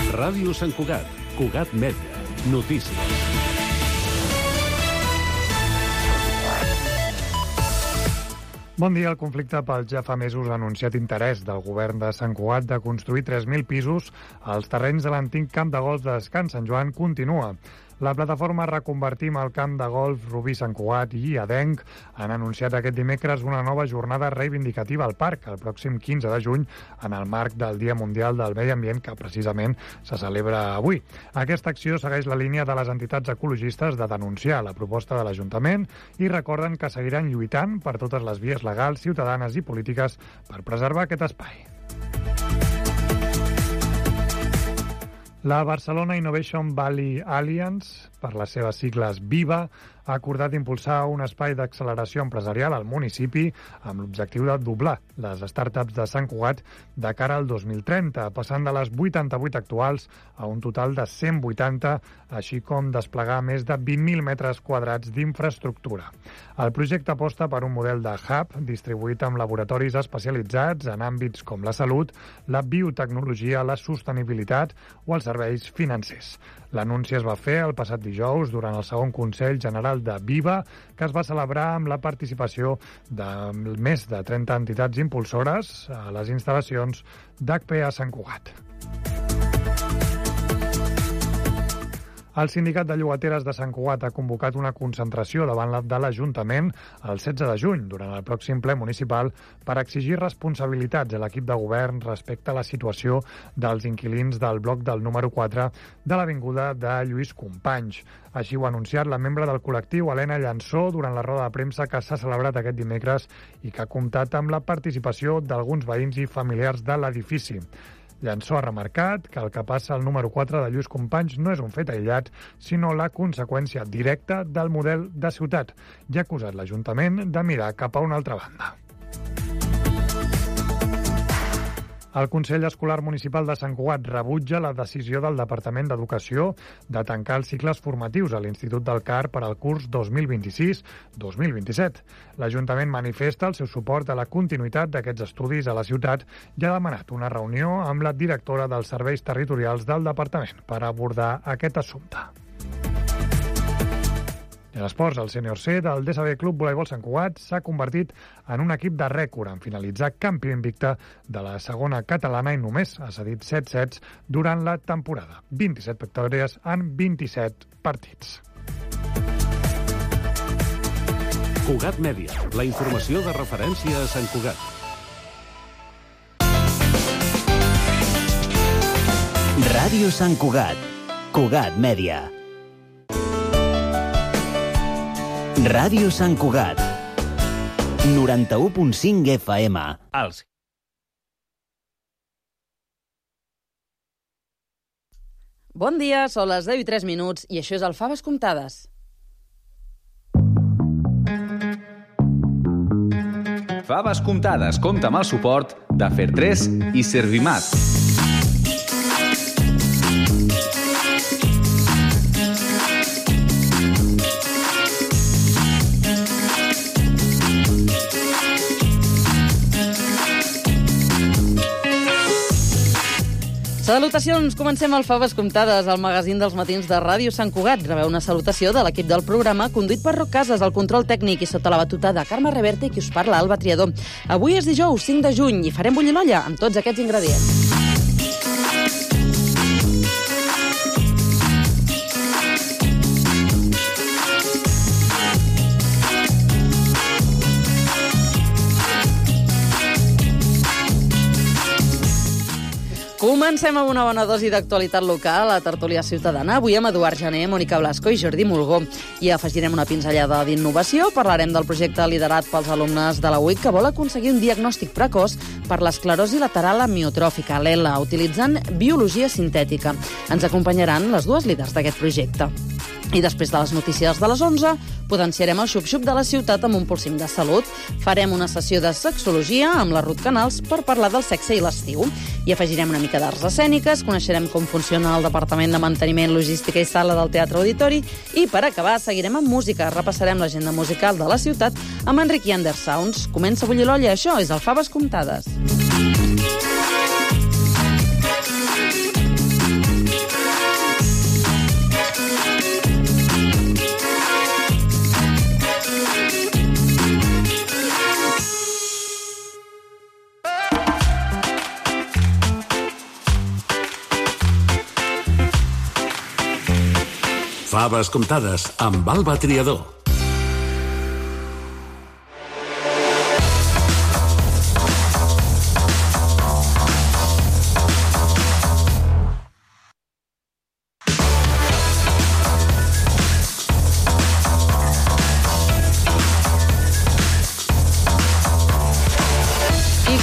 Ràdio Sant Cugat, Cugat Mèdia, notícies. Bon dia. El conflicte pel ja fa mesos anunciat interès del govern de Sant Cugat de construir 3.000 pisos als terrenys de l'antic camp de golf de Can Sant Joan continua. La plataforma Reconvertim el camp de golf Rubí Sant Cugat i Adenc han anunciat aquest dimecres una nova jornada reivindicativa al parc el pròxim 15 de juny en el marc del Dia Mundial del Medi Ambient que precisament se celebra avui. Aquesta acció segueix la línia de les entitats ecologistes de denunciar la proposta de l'Ajuntament i recorden que seguiran lluitant per totes les vies legals, ciutadanes i polítiques per preservar aquest espai. La Barcelona Innovation Valley Alliance, per les seves sigles VIVA, ha acordat impulsar un espai d'acceleració empresarial al municipi amb l'objectiu de doblar les startups de Sant Cugat de cara al 2030, passant de les 88 actuals a un total de 180, així com desplegar més de 20.000 metres quadrats d'infraestructura. El projecte aposta per un model de hub distribuït amb laboratoris especialitzats en àmbits com la salut, la biotecnologia, la sostenibilitat o els serveis financers. L'anunci es va fer el passat dijous durant el segon Consell General de VIVA, que es va celebrar amb la participació de més de 30 entitats impulsores a les instal·lacions d'HPA Sant Cugat. El Sindicat de Llogateres de Sant Cugat ha convocat una concentració davant de l'Ajuntament el 16 de juny, durant el pròxim ple municipal, per exigir responsabilitats a l'equip de govern respecte a la situació dels inquilins del bloc del número 4 de l'avinguda de Lluís Companys. Així ho ha anunciat la membre del col·lectiu, Helena Llansó, durant la roda de premsa que s'ha celebrat aquest dimecres i que ha comptat amb la participació d'alguns veïns i familiars de l'edifici. Llansó ha remarcat que el que passa al número 4 de Lluís Companys no és un fet aïllat, sinó la conseqüència directa del model de ciutat, i ha acusat l'Ajuntament de mirar cap a una altra banda. El Consell Escolar Municipal de Sant Cugat rebutja la decisió del Departament d'Educació de tancar els cicles formatius a l'Institut del CAR per al curs 2026-2027. L'Ajuntament manifesta el seu suport a la continuïtat d'aquests estudis a la ciutat i ha demanat una reunió amb la directora dels serveis territorials del departament per abordar aquest assumpte. En esports, el sènior C del DSB Club Voleibol Sant Cugat s'ha convertit en un equip de rècord en finalitzar campió invicte de la segona catalana i només ha cedit 7 sets durant la temporada. 27 victòries en 27 partits. Cugat Mèdia, la informació de referència a Sant Cugat. Ràdio Sant Cugat, Cugat Mèdia. Ràdio Sant Cugat, 91.5 FM. Bon dia, són les 10:03 i això és el Faves Comptades. Faves Comptades compta amb el suport de Fer3 i Servimat. Salutacions, comencem el Faves Comptades, el magazín dels matins de Ràdio Sant Cugat. Rebeu una salutació de l'equip del programa, conduït per Roc Casas, el control tècnic i sota la batuta de Carme Reverte, qui us parla, Alba Triador. Avui és dijous, 5 de juny, i farem bullir l'olla amb tots aquests ingredients. Comencem amb una bona dosi d'actualitat local a Tertúlia Ciutadana. Avui amb Eduard Jané, Mònica Blasco i Jordi Mulgó. I afegirem una pinzellada d'innovació. Parlarem del projecte liderat pels alumnes de la UIC que vol aconseguir un diagnòstic precoç per l'esclerosi lateral amiotròfica, l'ELA, utilitzant biologia sintètica. Ens acompanyaran les dues líders d'aquest projecte. I després de les notícies de les 11, potenciarem el xup-xup de la ciutat amb un polsim de salut. Farem una sessió de sexologia amb la Ruth Canals per parlar del sexe i l'estiu. I afegirem una mica d'arts escèniques, coneixerem com funciona el Departament de Manteniment, Logística i Sala del Teatre Auditori i, per acabar, seguirem amb música. Repassarem l'agenda musical de la ciutat amb Enric i Under Sounds. Comença a bullir l'olla, això és el Faves Comptades. Faves comptades amb Alba Triador.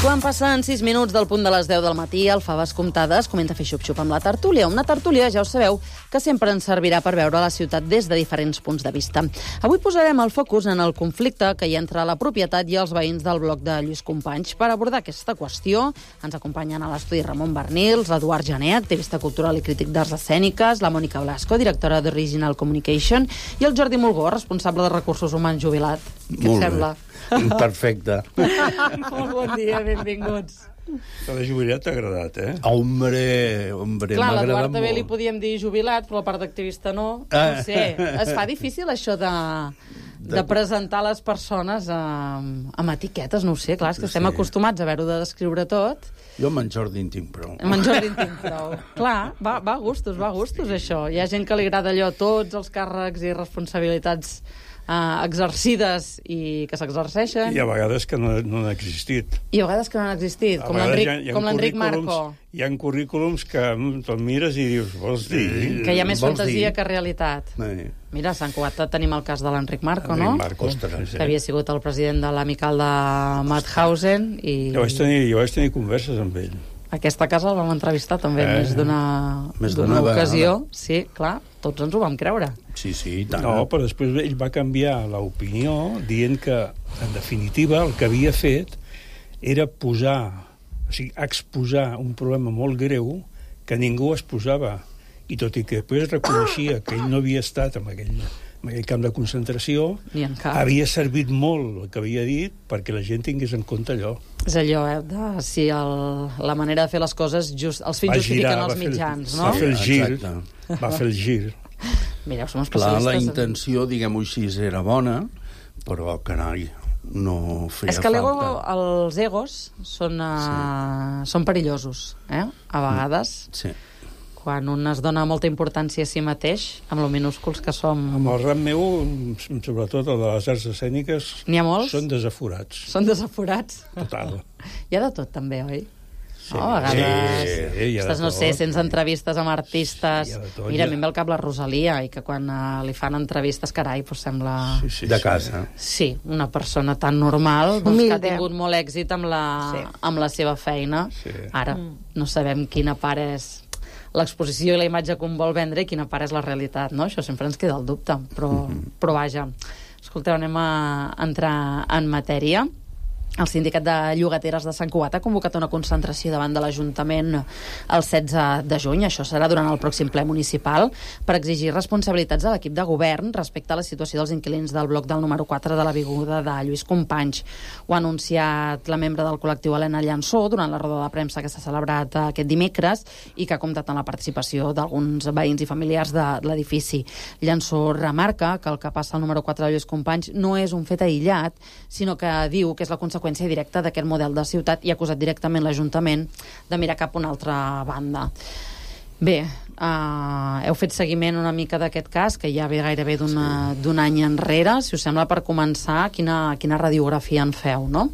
Quan passen 6 minuts del punt de les 10 del matí, el Faves Comptades comença a fer xup-xup amb la tertúlia. Una tertúlia, ja ho sabeu, que sempre ens servirà per veure la ciutat des de diferents punts de vista. Avui posarem el focus en el conflicte que hi ha entre la propietat i els veïns del bloc de Lluís Companys. Per abordar aquesta qüestió, ens acompanyen a l'estudi Ramon Bernils, l'Eduard Jané, activista cultural i crític d'arts escèniques, la Mònica Blasco, directora d'Original Communication, i el Jordi Mulgó, responsable de recursos humans jubilat. Què et sembla? Perfecte. Molt bon dia, benvinguts. De jubilat t'ha agradat, eh? Hombre, clar, m'ha agradat l'Eduard molt. també li podíem dir jubilat, però la part d'activista no. No sé, es fa difícil això de presentar les persones amb etiquetes, no ho sé, clar, és que estem acostumats a haver-ho de descriure tot. Jo amb en Jordi en tinc prou. Amb en Jordi en tinc prou. Clar, va a gustos, això. Hi ha gent que li agrada allò, tots els càrrecs i responsabilitats exercides i que s'exerceixen. I a vegades que no han existit. I a vegades que no han existit, com l'Enric Marco. Hi ha currículums que te'l mires i dius, vols dir? Que hi ha més fantasia que realitat. Mira, a Sant Cugat tenim el cas de l'Enric Marco, no? Que havia sigut el president de l'Amical de Mauthausen. Jo vaig tenir converses amb ell. Aquesta casa el vam entrevistar també més d'una ocasió. Sí, clar, tots ens ho vam creure. Sí, i tant. No, però després ell va canviar l'opinió dient que, en definitiva, el que havia fet era exposar un problema molt greu que ningú exposava. I tot i que després reconeixia que ell no havia estat en aquell camp de concentració, havia servit molt el que havia dit perquè la gent tingués en compte allò. És allò, de si la manera de fer les coses, els fins justifiquen els mitjans, no? Va fer el gir. Mireu, som especialistes. La intenció, diguem-ho així, era bona, però, carai, no feia falta. És que els egos són perillosos, a vegades. Sí. Quan un es dona molta importància a si mateix, amb lo minúsculs que som. Amb el ram meu, sobretot el de les arts escèniques, n'hi ha molts? Són desaforats. Són desaforats? Total. Hi ha de tot, també, oi? Sí, a vegades... Sí, hi ha de tot. No sé, sents entrevistes amb artistes... Mira, a mi em ve al cap la Rosalia, i que quan li fan entrevistes, carai, doncs sembla... De casa. Sí, una persona tan normal, que ha tingut molt èxit amb la seva feina. Ara, no sabem quina part és l'exposició i la imatge que un vol vendre i quina part és la realitat, no? Això sempre ens queda el dubte, però vaja. Escolteu, anem a entrar en matèria. El sindicat de llogateres de Sant Cugat ha convocat una concentració davant de l'Ajuntament el 16 de juny. Això serà durant el pròxim ple municipal per exigir responsabilitats a l'equip de govern respecte a la situació dels inquilins del bloc del número 4 de l'avinguda de Lluís Companys. Ho ha anunciat la membre del col·lectiu Helena Llansó durant la roda de premsa que s'ha celebrat aquest dimecres i que ha comptat amb la participació d'alguns veïns i familiars de l'edifici. Llansó remarca que el que passa al número 4 de Lluís Companys no és un fet aïllat, sinó que diu que és la conseqüència directa d'aquest model de ciutat i ha acusat directament l'Ajuntament de mirar cap a una altra banda. Bé, heu fet seguiment una mica d'aquest cas, que ja ve gairebé d'un any enrere. Si us sembla, per començar, quina radiografia en feu, no?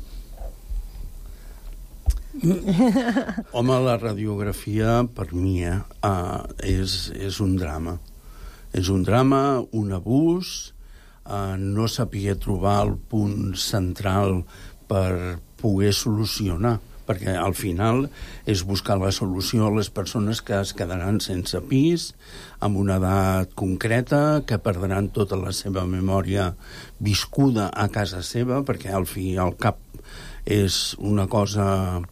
Home, la radiografia, per mi, és un drama. És un drama, un abús, no sabia trobar el punt central per poder solucionar, perquè al final és buscar la solució a les persones que es quedaran sense pis, amb una edat concreta, que perdran tota la seva memòria viscuda a casa seva, perquè al fi i al cap és una cosa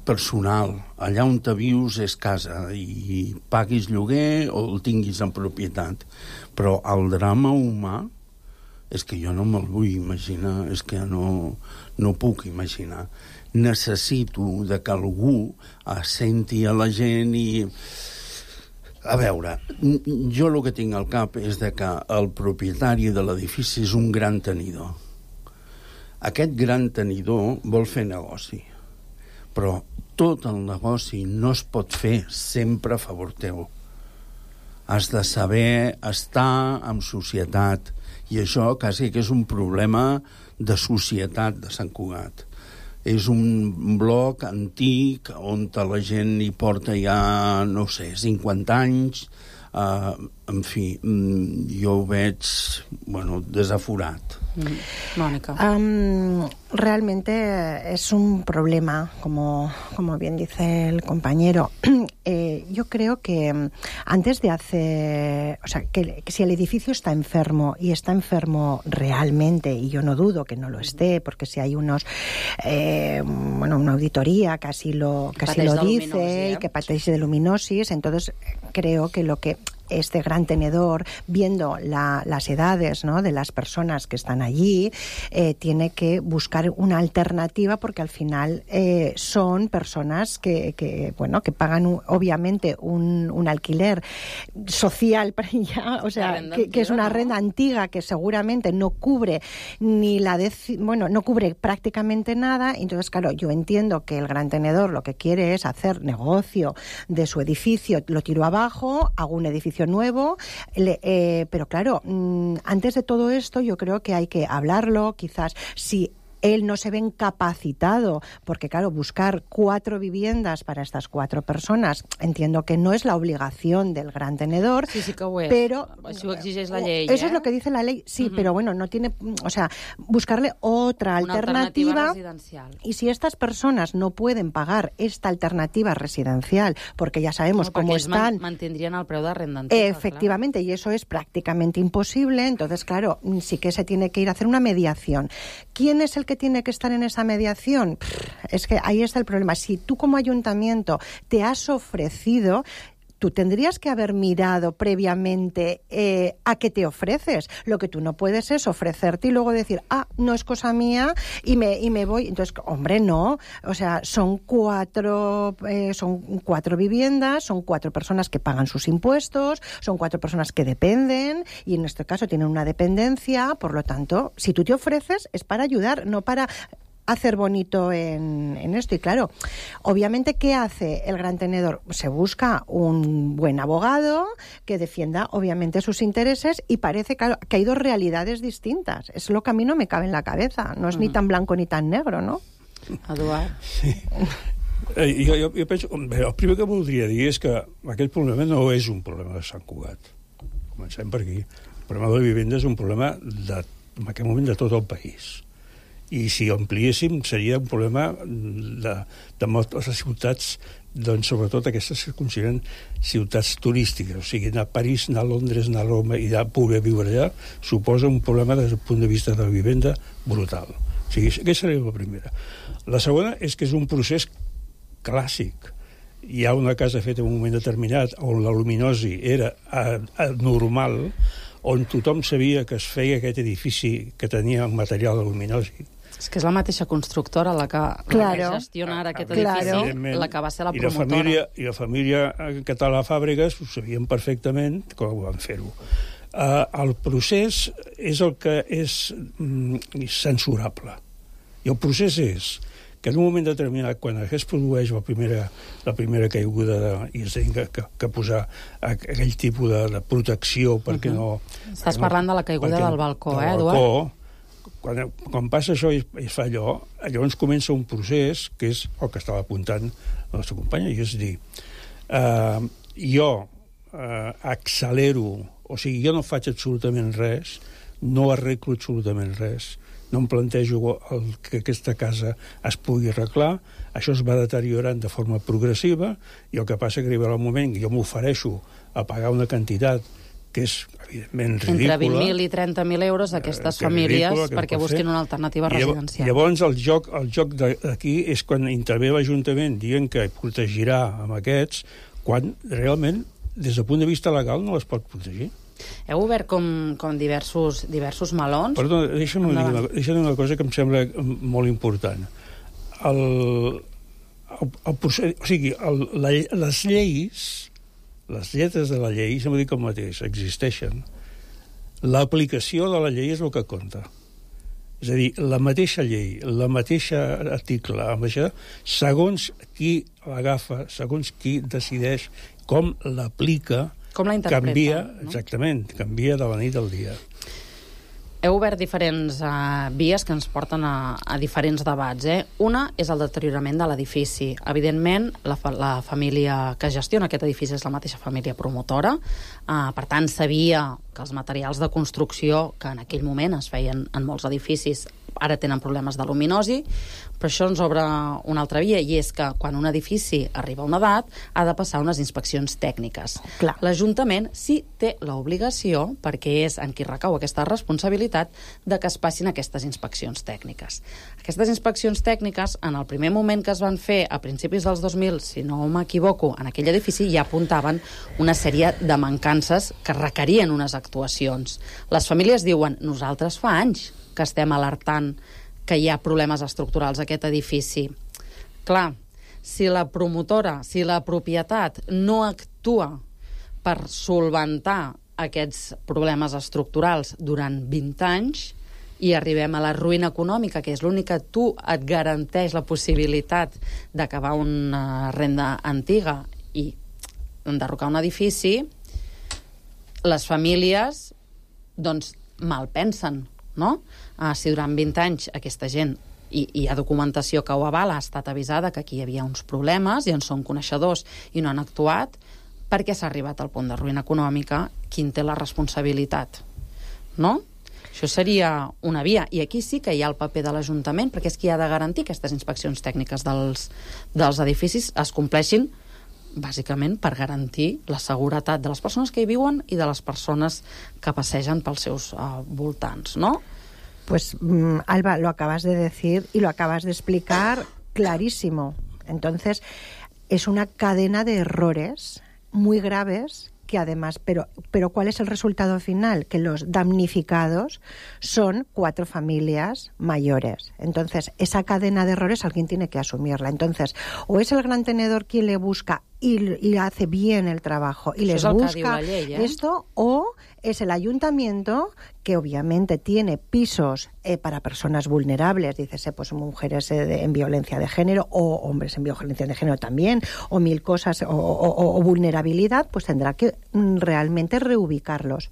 personal. Allà on te vius és casa, i paguis lloguer o el tinguis en propietat. Però el drama humà és que jo no me'l vull imaginar, és que no puc imaginar. Necessito de que algú senti a la gent i... A veure, jo el que tinc al cap és de que el propietari de l'edifici és un gran tenidor. Aquest gran tenidor vol fer negoci, però tot el negoci no es pot fer sempre a favor teu. has de saber estar en societat, i això quasi que és un problema de societat de Sant Cugat. És un bloc antic on la gent hi porta ja, no sé, 50 anys. En fi, jo ho veig, desaforat. Mónica. Realmente es un problema, como bien dice el compañero. Yo creo que antes de hacer... O sea, que si el edificio está enfermo, y está enfermo realmente, y yo no dudo que no lo esté, porque si hay una auditoría casi lo dice, que padece de luminosis, entonces creo que lo que este gran tenedor, viendo las edades, ¿no?, de las personas que están allí, tiene que buscar una alternativa, porque al final son personas que pagan obviamente un alquiler social para ya, o sea, que es una renta antigua que seguramente no cubre no cubre prácticamente nada. Entonces, claro, yo entiendo que el gran tenedor lo que quiere es hacer negocio de su edificio, lo tiro abajo, hago un edificio nuevo, pero claro, antes de todo esto yo creo que hay que hablarlo, quizás si él no se ve incapacitado, porque claro, buscar 4 viviendas para estas 4 personas, entiendo que no es la obligación del gran tenedor, sí que ho és. Pero això ho exigeix la llei, eso es lo que dice la ley, sí, pero bueno, no tiene, o sea, buscarle otra alternativa residencial. Y si estas personas no pueden pagar esta alternativa residencial, porque ya sabemos cómo están, mantendrían el preu de renda antiga, efectivamente, y eso es prácticamente imposible. Entonces, claro, sí que se tiene que ir a hacer una mediación. ¿Quién es el que tiene que estar en esa mediación? Es que ahí está el problema. Si tú como ayuntamiento te has ofrecido, tú tendrías que haber mirado previamente a qué te ofreces. Lo que tú no puedes es ofrecerte y luego decir, no es cosa mía y me voy. Entonces, hombre, no. O sea, son 4 viviendas, son 4 personas que pagan sus impuestos, son 4 personas que dependen y en este caso tienen una dependencia. Por lo tanto, si tú te ofreces es para ayudar, no para hacer bonito en esto. Y claro, obviamente, ¿qué hace el gran tenedor? Se busca un buen abogado que defienda obviamente sus intereses, y parece que hay 2 realidades distintas. Es lo que a mí no me cabe en la cabeza. No es ni tan blanco ni tan negro, ¿no? Eduard. Sí. Jo penso... El primer que voldria dir és que aquest problema no és un problema de Sant Cugat. Comencem per aquí. El problema de la vivenda és un problema en aquest moment de tot el país. I si ho ampliéssim seria un problema de moltes ciutats, doncs sobretot aquestes que es consideren ciutats turístiques, o sigui, anar a París, anar a Londres, anar a Roma i poder viure allà suposa un problema des del punt de vista de la vivenda brutal. O sigui, aquesta seria la primera. La segona és que és un procés clàssic. Hi ha una casa feta en un moment determinat on la luminosi era normal, on tothom sabia que es feia aquest edifici que tenia el material de luminosi. És que és la mateixa constructora la que gestiona ara aquest edifici, la que va ser la promotora. I la família Català Fàbregas ho sabien perfectament com ho van fer-ho. El procés és el que és censurable. I el procés és que en un moment determinat, quan es produeix la primera caiguda i es ha que posar aquell tipus de protecció perquè no... Estàs parlant de la caiguda del balcó, Eduard? Quan passa això i es fa allò, llavors comença un procés que és el que estava apuntant la nostra companya, i és dir, jo accelero, o sigui, jo no faig absolutament res, no arreglo absolutament res, no em plantejo que aquesta casa es pugui arreglar, això es va deteriorant de forma progressiva, i el que passa que arribarà un moment que jo m'ofereixo a pagar una quantitat que és, evidentment, ridícula. Entre 20.000 i 30.000 euros d'aquestes famílies perquè busquin una alternativa residencial. Llavors, el joc d'aquí és quan intervé l'Ajuntament dient que protegirà amb aquests, quan realment, des del punt de vista legal, no les pot protegir. Heu obert com diversos melons? Perdó, deixa'm dir una cosa que em sembla molt important. El procés, o sigui, les lleis, les lletres de la llei, sempre dic el mateix, existeixen. L'aplicació de la llei és el que compta. És a dir, la mateixa llei, la mateixa article, segons qui l'agafa, segons qui decideix com l'aplica, Com la interpreten? Canvia, exactament, canvia de la nit al dia. Heu obert diferents vies que ens porten a diferents debats. Una és el deteriorament de l'edifici. Evidentment, la família que gestiona aquest edifici és la mateixa família promotora. Per tant, sabia que els materials de construcció que en aquell moment es feien en molts edificis ara tenen problemes de luminosi, però això ens obre una altra via, i és que quan un edifici arriba a una edat ha de passar unes inspeccions tècniques. Clar. L'Ajuntament sí té l'obligació, perquè és en qui recau aquesta responsabilitat, de que es passin aquestes inspeccions tècniques. Aquestes inspeccions tècniques, en el primer moment que es van fer a principis dels 2000, si no m'equivoco, en aquell edifici ja apuntaven una sèrie de mancances que requerien unes actuacions. Les famílies diuen, nosaltres fa anys que estem alertant que hi ha problemes estructurals a aquest edifici. Clar, si la promotora, si la propietat no actua per solventar aquests problemes estructurals durant 20 anys i arribem a la ruïna econòmica, que és l'únic que tu et garanteix la possibilitat d'acabar una renda antiga i enderrocar un edifici, les famílies doncs malpensen, no? Si durant 20 anys aquesta gent, i hi ha documentació que ho avala, ha estat avisada que aquí hi havia uns problemes i en són coneixedors i no han actuat, per què s'ha arribat al punt de ruïna econòmica? Qui en té la responsabilitat? No? Això seria una via. I aquí sí que hi ha el paper de l'Ajuntament, perquè és qui ha de garantir que aquestes inspeccions tècniques dels edificis es compleixin bàsicament per garantir la seguretat de les persones que hi viuen i de les persones que passegen pels seus voltants, ¿no? Pues, Alba, lo acabas de decir y lo acabas de explicar clarísimo. Entonces, es una cadena de errores muy graves que además, pero ¿cuál es el resultado final? Que los damnificados son 4 familias mayores. Entonces, esa cadena de errores alguien tiene que asumirla. Entonces, o es el gran tenedor quien le busca y hace bien el trabajo y les busca esto, o es el ayuntamiento que obviamente tiene pisos para personas vulnerables, dices, pues mujeres en violencia de género o hombres en violencia de género también, o 1000 cosas, o vulnerabilidad, pues tendrá que realmente reubicarlos.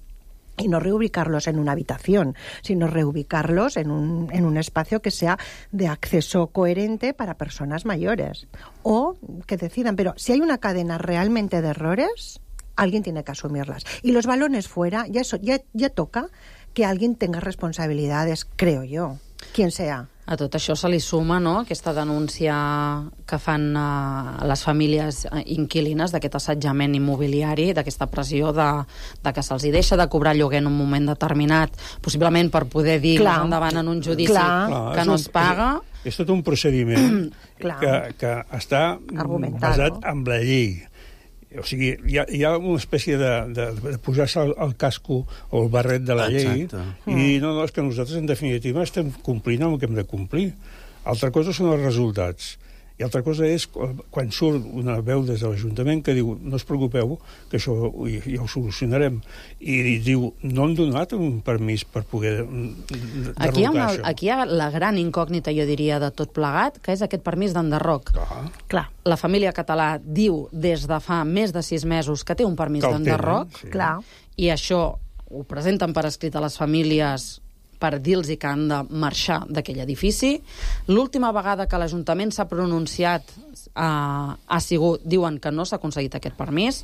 Y no reubicarlos en una habitación, sino reubicarlos en un espacio que sea de acceso coherente para personas mayores. O que decidan, pero si hay una cadena realmente de errores, alguien tiene que asumirlas. Y los balones fuera, ya toca que alguien tenga responsabilidades, creo yo, quien sea. A tot això se li suma, no?, aquesta denúncia que fan les famílies inquilines d'aquest assetjament immobiliari, d'aquesta pressió de que se'ls deixa de cobrar lloguer en un moment determinat, possiblement per poder dir més endavant en un judici que no es paga. És tot un procediment que està basat en la llei. O sigui, hi ha una espècie de posar-se el casco o el barret de la llei i no, és que nosaltres en definitiva estem complint el que hem de complir. Altra cosa són els resultats. I altra cosa és quan surt una veu des de l'Ajuntament que diu no us preocupeu, que això ja ho solucionarem. I diu, no han donat un permís per poder derrocar això. Aquí hi ha la gran incògnita, jo diria, de tot plegat, que és aquest permís d'enderroc. Clar. La família català diu des de fa més de 6 mesos que té un permís d'enderroc. Clar. I això ho presenten per escrit a les famílies per dir-los que han de marxar d'aquell edifici. L'última vegada que l'Ajuntament s'ha pronunciat ha sigut, diuen que no s'ha aconseguit aquest permís.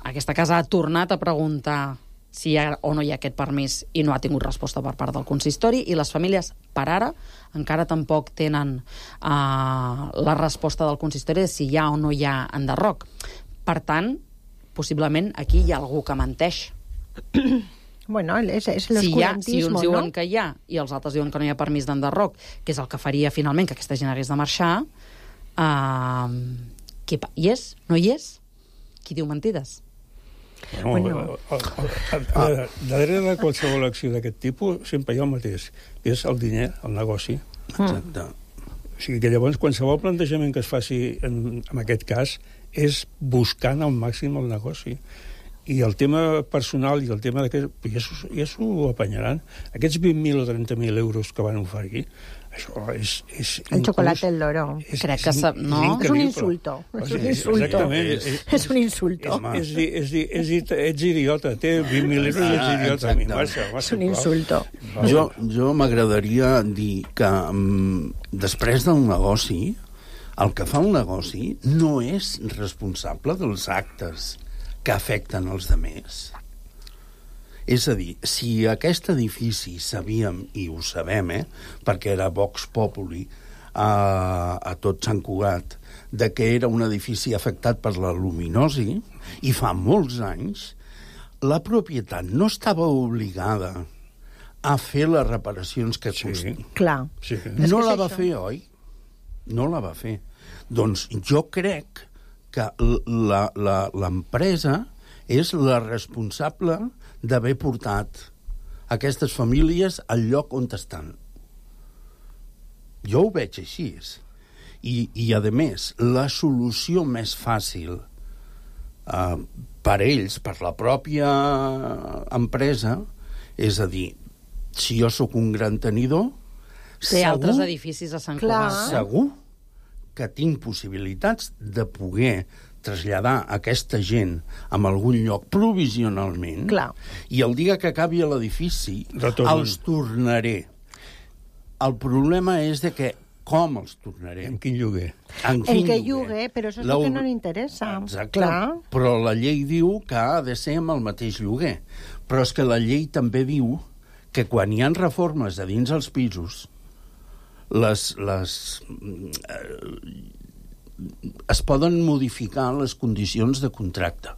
Aquesta casa ha tornat a preguntar si hi ha o no hi ha aquest permís i no ha tingut resposta per part del consistori, i les famílies, per ara, encara tampoc tenen la resposta del consistori de si hi ha o no hi ha enderroc. Per tant, possiblement aquí hi ha algú que menteix. Bueno, és l'oscurantisme, si uns diuen que hi ha i els altres diuen que no hi ha permís d'enderroc, que és el que faria finalment que aquesta gent hagués de marxar, hi és? No hi és? Qui diu mentides? Darrere de qualsevol acció d'aquest tipus sempre hi ha el mateix, que és el diner, el negoci. Exacte. O sigui que llavors qualsevol plantejament que es faci en aquest cas és buscant al màxim el negoci. I el tema personal i el tema ja s'ho apanyaran. Aquests 20.000 o 30.000 euros que van oferir, Això és el chocolate del loro. Crec que no? És un insulto. Exactament. És un insulto. Ets idiota, té 20.000 euros i ets idiota. És un insulto. Jo m'agradaria dir que després del negoci, el que fa el negoci no és responsable dels actes que afecten els demés. És a dir, si aquest edifici sabíem, i ho sabem, perquè era Vox Populi a tot Sant Cugat, de que era un edifici afectat per la luminosi, i fa molts anys, la propietat no estava obligada a fer les reparacions que costi. Clar. Sí. No la va fer, oi? No la va fer. Doncs jo crec que l'empresa és la responsable d'haver portat aquestes famílies al lloc on estan. Jo ho veig així. I a més, la solució més fàcil per ells, per la pròpia empresa, és a dir, si jo sóc un gran tenidor, té altres edificis a Sant Cugat. Segur que tinc possibilitats de poder traslladar aquesta gent a algun lloc provisionalment. Clar. I el dia que acabi l'edifici els tornaré. El problema és de que com els tornaré? En quin lloguer? En què lloguer, però això és el que no li interessa. Exacte. Clar. Però la llei diu que ha de ser amb el mateix lloguer. Però és que la llei també diu que quan hi ha reformes a dins els pisos, es poden modificar les condicions de contracte.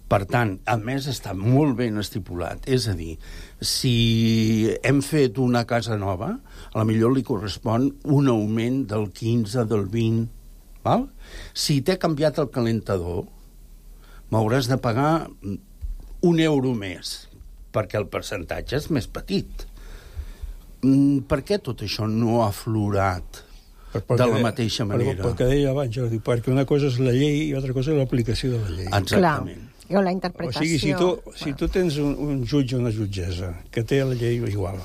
Per tant, a més, està molt ben estipulat. És a dir, si hem fet una casa nova, a la millor li correspon un augment del 15, del 20, val? Si t'he canviat el calentador, m'hauràs de pagar €1 més, perquè el percentatge és més petit. Per què tot això no ha aflorat de la mateixa manera? Perquè deia abans, Jordi, perquè una cosa és la llei i altra cosa és l'aplicació de la llei. Exactament. O la interpretació. O sigui, si tu tens un jutge o una jutgessa que té la llei igual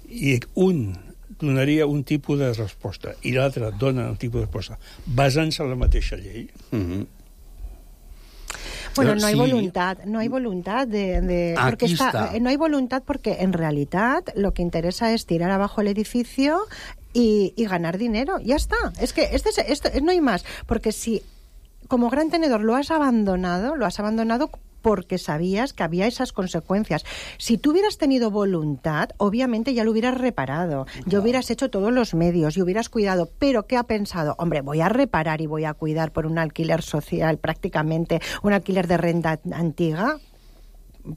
i un donaria un tipus de resposta i l'altre dona un tipus de resposta basant-se en la mateixa llei... Bueno, no hay voluntad, no hay voluntad porque no hay voluntad porque en realidad lo que interesa es tirar abajo el edificio y ganar dinero. Ya está. Es que esto no hay más, porque si como gran tenedor lo has abandonado porque sabías que había esas consecuencias. Si tú hubieras tenido voluntad, obviamente ya lo hubieras reparado, ya hubieras hecho todos los medios y hubieras cuidado. Pero ¿qué ha pensado? Hombre, voy a reparar y voy a cuidar por un alquiler social, prácticamente un alquiler de renta antigua.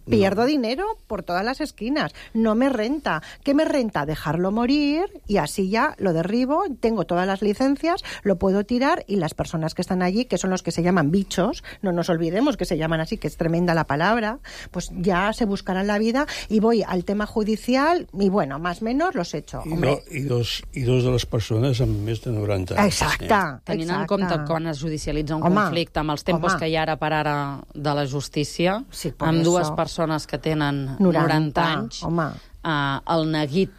Pierdo dinero por todas las esquinas. No me renta. ¿Qué me renta? Dejarlo morir y así ya lo derribo, tengo todas las licencias, lo puedo tirar y las personas que están allí, que son los que se llaman bichos, no nos olvidemos que se llaman así, que es tremenda la palabra, pues ya se buscarán la vida y voy al tema judicial y bueno, más o menos los echo. I dos de les persones amb més de 90 anys. Exacte. Tenint en compte quan es judicialitza un conflicte amb els tempos que hi ha ara per ara de la justícia, amb dues persones que tenen 90 anys, el neguit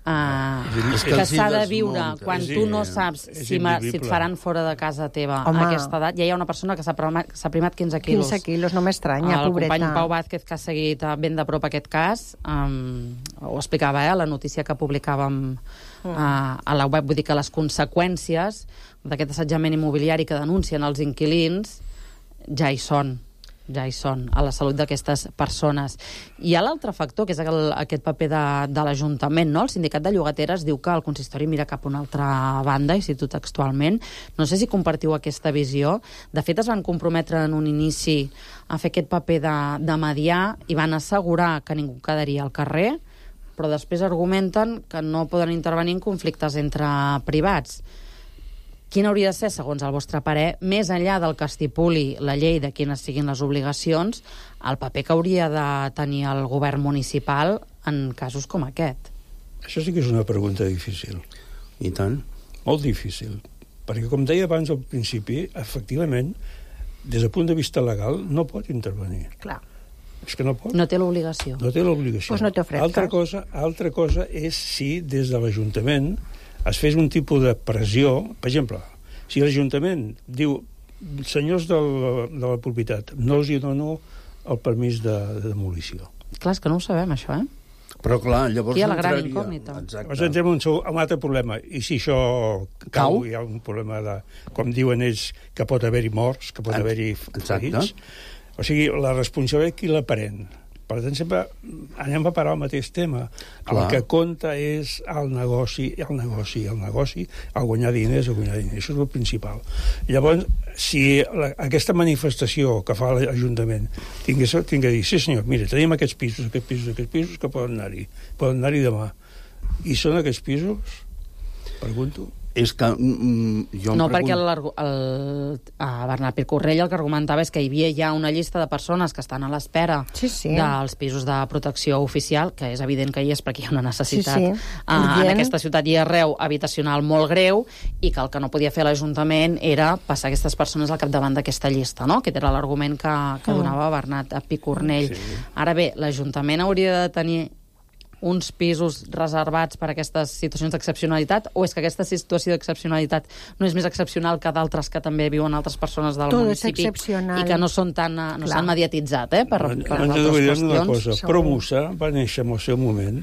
que s'ha de viure quan tu no saps si et faran fora de casa teva a aquesta edat. Ja hi ha una persona que s'ha primat 15 quilos. 15 quilos, no m'estranya, pobreta. El company Pau Vázquez, que ha seguit ben de prop aquest cas, ho explicava a la notícia que publicàvem a la web. Vull dir que les conseqüències d'aquest assetjament immobiliari que denuncien els inquilins ja hi són a la salut d'aquestes persones. Hi ha l'altre factor, que és aquest paper de l'Ajuntament, no? El sindicat de llogateres diu que el consistori mira cap a una altra banda, i cito textualment. No sé si compartiu aquesta visió. De fet, es van comprometre en un inici a fer aquest paper de mediar i van assegurar que ningú quedaria al carrer, però després argumenten que no poden intervenir en conflictes entre privats. Quin hauria de ser, segons el vostre parer, més enllà del que estipuli la llei de quines siguin les obligacions, el paper que hauria de tenir el govern municipal en casos com aquest? Això sí que és una pregunta difícil. I tant. Molt difícil. Perquè, com deia abans al principi, efectivament, des del punt de vista legal, no pot intervenir. Clar. És que no pot. No té l'obligació. No té l'obligació. Pues no te ofrezcas. Altra cosa és si des de l'Ajuntament es fes un tipus de pressió. Per exemple, si l'Ajuntament diu senyors de la propietat, no els hi dono el permís de demolició. Clar, és que no ho sabem, això, eh? Però clar, llavors aquí hi ha la gran incògnita. Exacte. Entrem en un altre problema. I si això cau, hi ha un problema de, com diuen ells, que pot haver-hi morts, que pot haver-hi ferits. O sigui, la responsabilitat qui la pren. Per tant, sempre anem a parar al mateix tema. Clar. El que compta és el negoci, el guanyar diners, Això és el principal. Llavors, si aquesta manifestació que fa l'Ajuntament tingués de dir, sí senyor, mira, tenim aquests pisos que poden anar-hi demà. I són aquests pisos? Pregunto. És que jo no, perquè a Bernat Picornell el que argumentava és que hi havia ja una llista de persones que estan a l'espera dels pisos de protecció oficial, que és evident que hi és perquè hi ha una necessitat en aquesta ciutat i arreu habitacional molt greu, i que el que no podia fer l'Ajuntament era passar aquestes persones al capdavant d'aquesta llista, no? Aquest era l'argument que donava Bernat Picornell. Ara bé, l'Ajuntament hauria de tenir uns pisos reservats per a aquestes situacions d'excepcionalitat, o és que aquesta situació d'excepcionalitat no és més excepcional que d'altres que també viuen altres persones del municipi i que no són tan no s'han mediatitzat per altres qüestions? Una cosa, Promusa va néixer en el seu moment,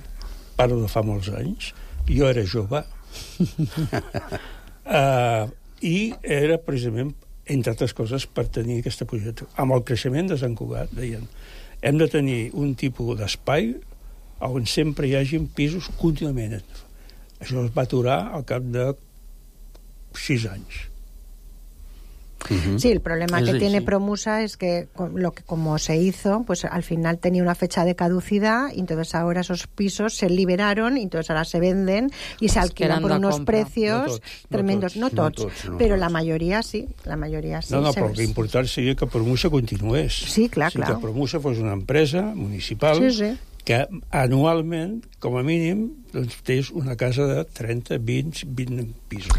parlo de fa molts anys, jo era jove, i era precisament, entre altres coses, per tenir aquesta projecte. Amb el creixement de Sant Cugat, deien, hem de tenir un tipus d'espai on sempre hi hagi pisos contínuament. Això es va aturar al cap de 6 anys. Sí, el problema que tiene Promusa es que como se hizo, pues al final tenía una fecha de caducidad y entonces ahora esos pisos se liberaron y entonces ahora se venden y se alquilan por unos precios tremendos. No tots, però la majoria sí. No, però l'important seria que Promusa continués. Sí, clar. Que Promusa fos una empresa municipal que anualment, com a mínim, doncs, tens una casa de 30, 20 pisos.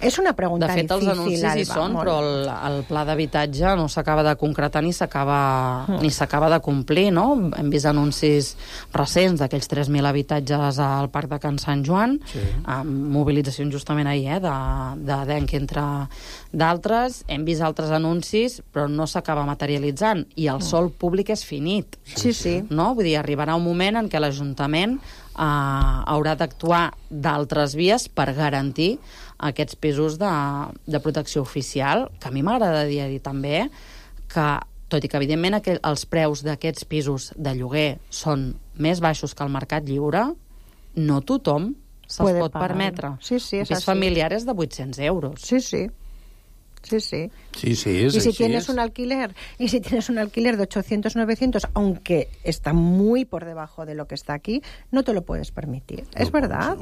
És una pregunta difícil. De fet, els anuncis hi són, però el pla d'habitatge no s'acaba de concretar ni s'acaba de complir, no? Hem vist anuncis recents d'aquells 3.000 habitatges al Parc de Can Sant Joan, amb mobilitzacions justament ahir, de DENC entre d'altres. Hem vist altres anuncis, però no s'acaba materialitzant, i el sòl públic és finit. Sí. No? Vull dir, arribarà un moment en què l'Ajuntament haurà d'actuar d'altres vies per garantir aquests pisos de protecció oficial, que a mi m'agradaria dir també que, tot i que evidentment els preus d'aquests pisos de lloguer són més baixos que el mercat lliure, no tothom se'ls pot permetre. Sí, un pis familiar és de 800 euros. Sí. Sí, y si tienes un alquiler de 800, 900, aunque está muy por debajo de lo que está aquí, no te lo puedes permitir. ¿Es verdad?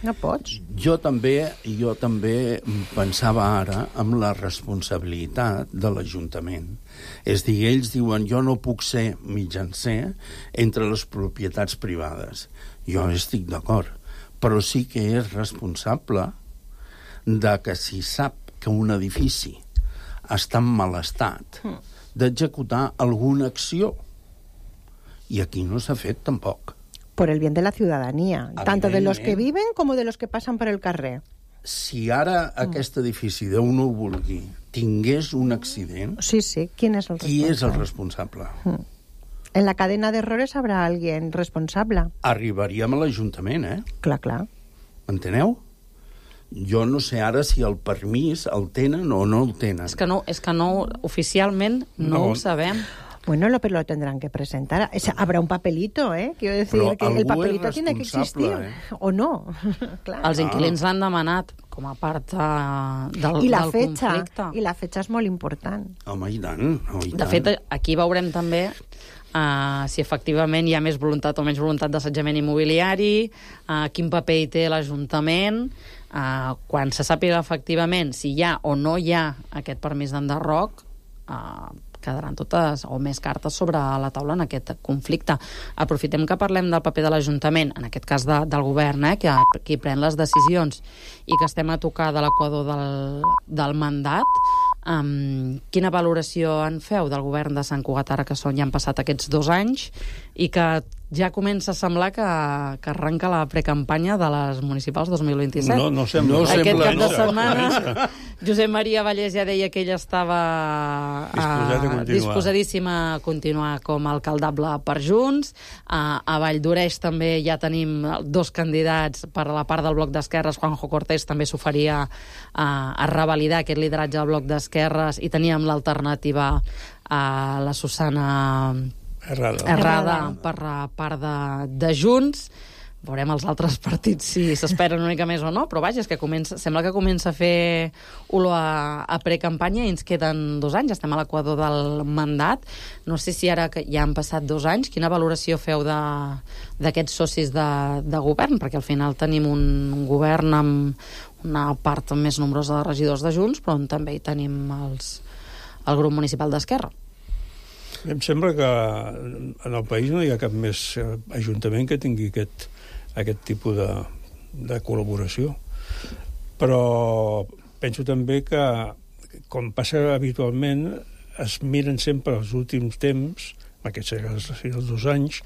No pots. Jo també pensava ara en la responsabilitat de l'Ajuntament. És dir, ells diuen, jo no puc ser mitjancer entre les propietats privades. Jo estic d'acord, però sí que és responsable de que si sap que un edifici està en mal estat, d'executar alguna acció. I aquí no s'ha fet tampoc. Por el bien de la ciudadanía, tanto de los que viven como de los que pasan por el carrer. Si ara aquest edifici, Déu no ho vulgui, tingués un accident... Sí, ¿quién es el responsable? Qui és el responsable? En la cadena de errores habrá alguien responsable. Arribaríem a l'Ajuntament, Clar. Enteneu? Jo no sé ara si el permís el tenen o no el tenen. És que no oficialment no ho sabem. Bueno, pero lo tendrán que presentar. Habrá un papelito, Quiero decir que el papelito tiene que existir. O no. Claro. Els inquilins l'han demanat com a part del conflicte. I la fecha és molt important. Home, i tant. De fet, aquí veurem també si efectivament hi ha més voluntat o menys voluntat d'assetjament immobiliari, quin paper hi té l'Ajuntament, quan se sàpiga efectivament si hi ha o no hi ha aquest permís d'enderroc, quedaran totes o més cartes sobre la taula en aquest conflicte. Aprofitem que parlem del paper de l'Ajuntament, en aquest cas del govern, qui pren les decisions, i que estem a tocar de l'equador del mandat. Quina valoració en feu del govern de Sant Cugat ara que ja han passat aquests 2 anys i que ja comença a semblar que arranca la precampanya de les municipals 2027? No sembla. Aquest cap de setmana Josep Maria Vallès ja deia que ell estava disposadíssim a continuar com a alcaldable per Junts. A Valldoreix també ja tenim 2 candidats per a la part del bloc d'esquerres. Juanjo Cortés també s'oferia a revalidar aquest lideratge del bloc d'esquerres i teníem l'alternativa a la Susana Errada per la part de Junts. Veurem els altres partits si s'esperen una mica més o no, però vaja, és que sembla que comença a fer olor a precampanya i ens queden 2 anys, estem a l'equador del mandat. No sé si ara que ja han passat 2 anys, quina valoració feu d'aquests socis de govern? Perquè al final tenim un govern amb una part més nombrosa de regidors de Junts, però on també hi tenim el grup municipal d'Esquerra. Em sembla que en el país no hi ha cap més ajuntament que tingui aquest tipus de col·laboració. Però penso també que, com passa habitualment, es miren sempre els últims temps, aquests els 2 anys,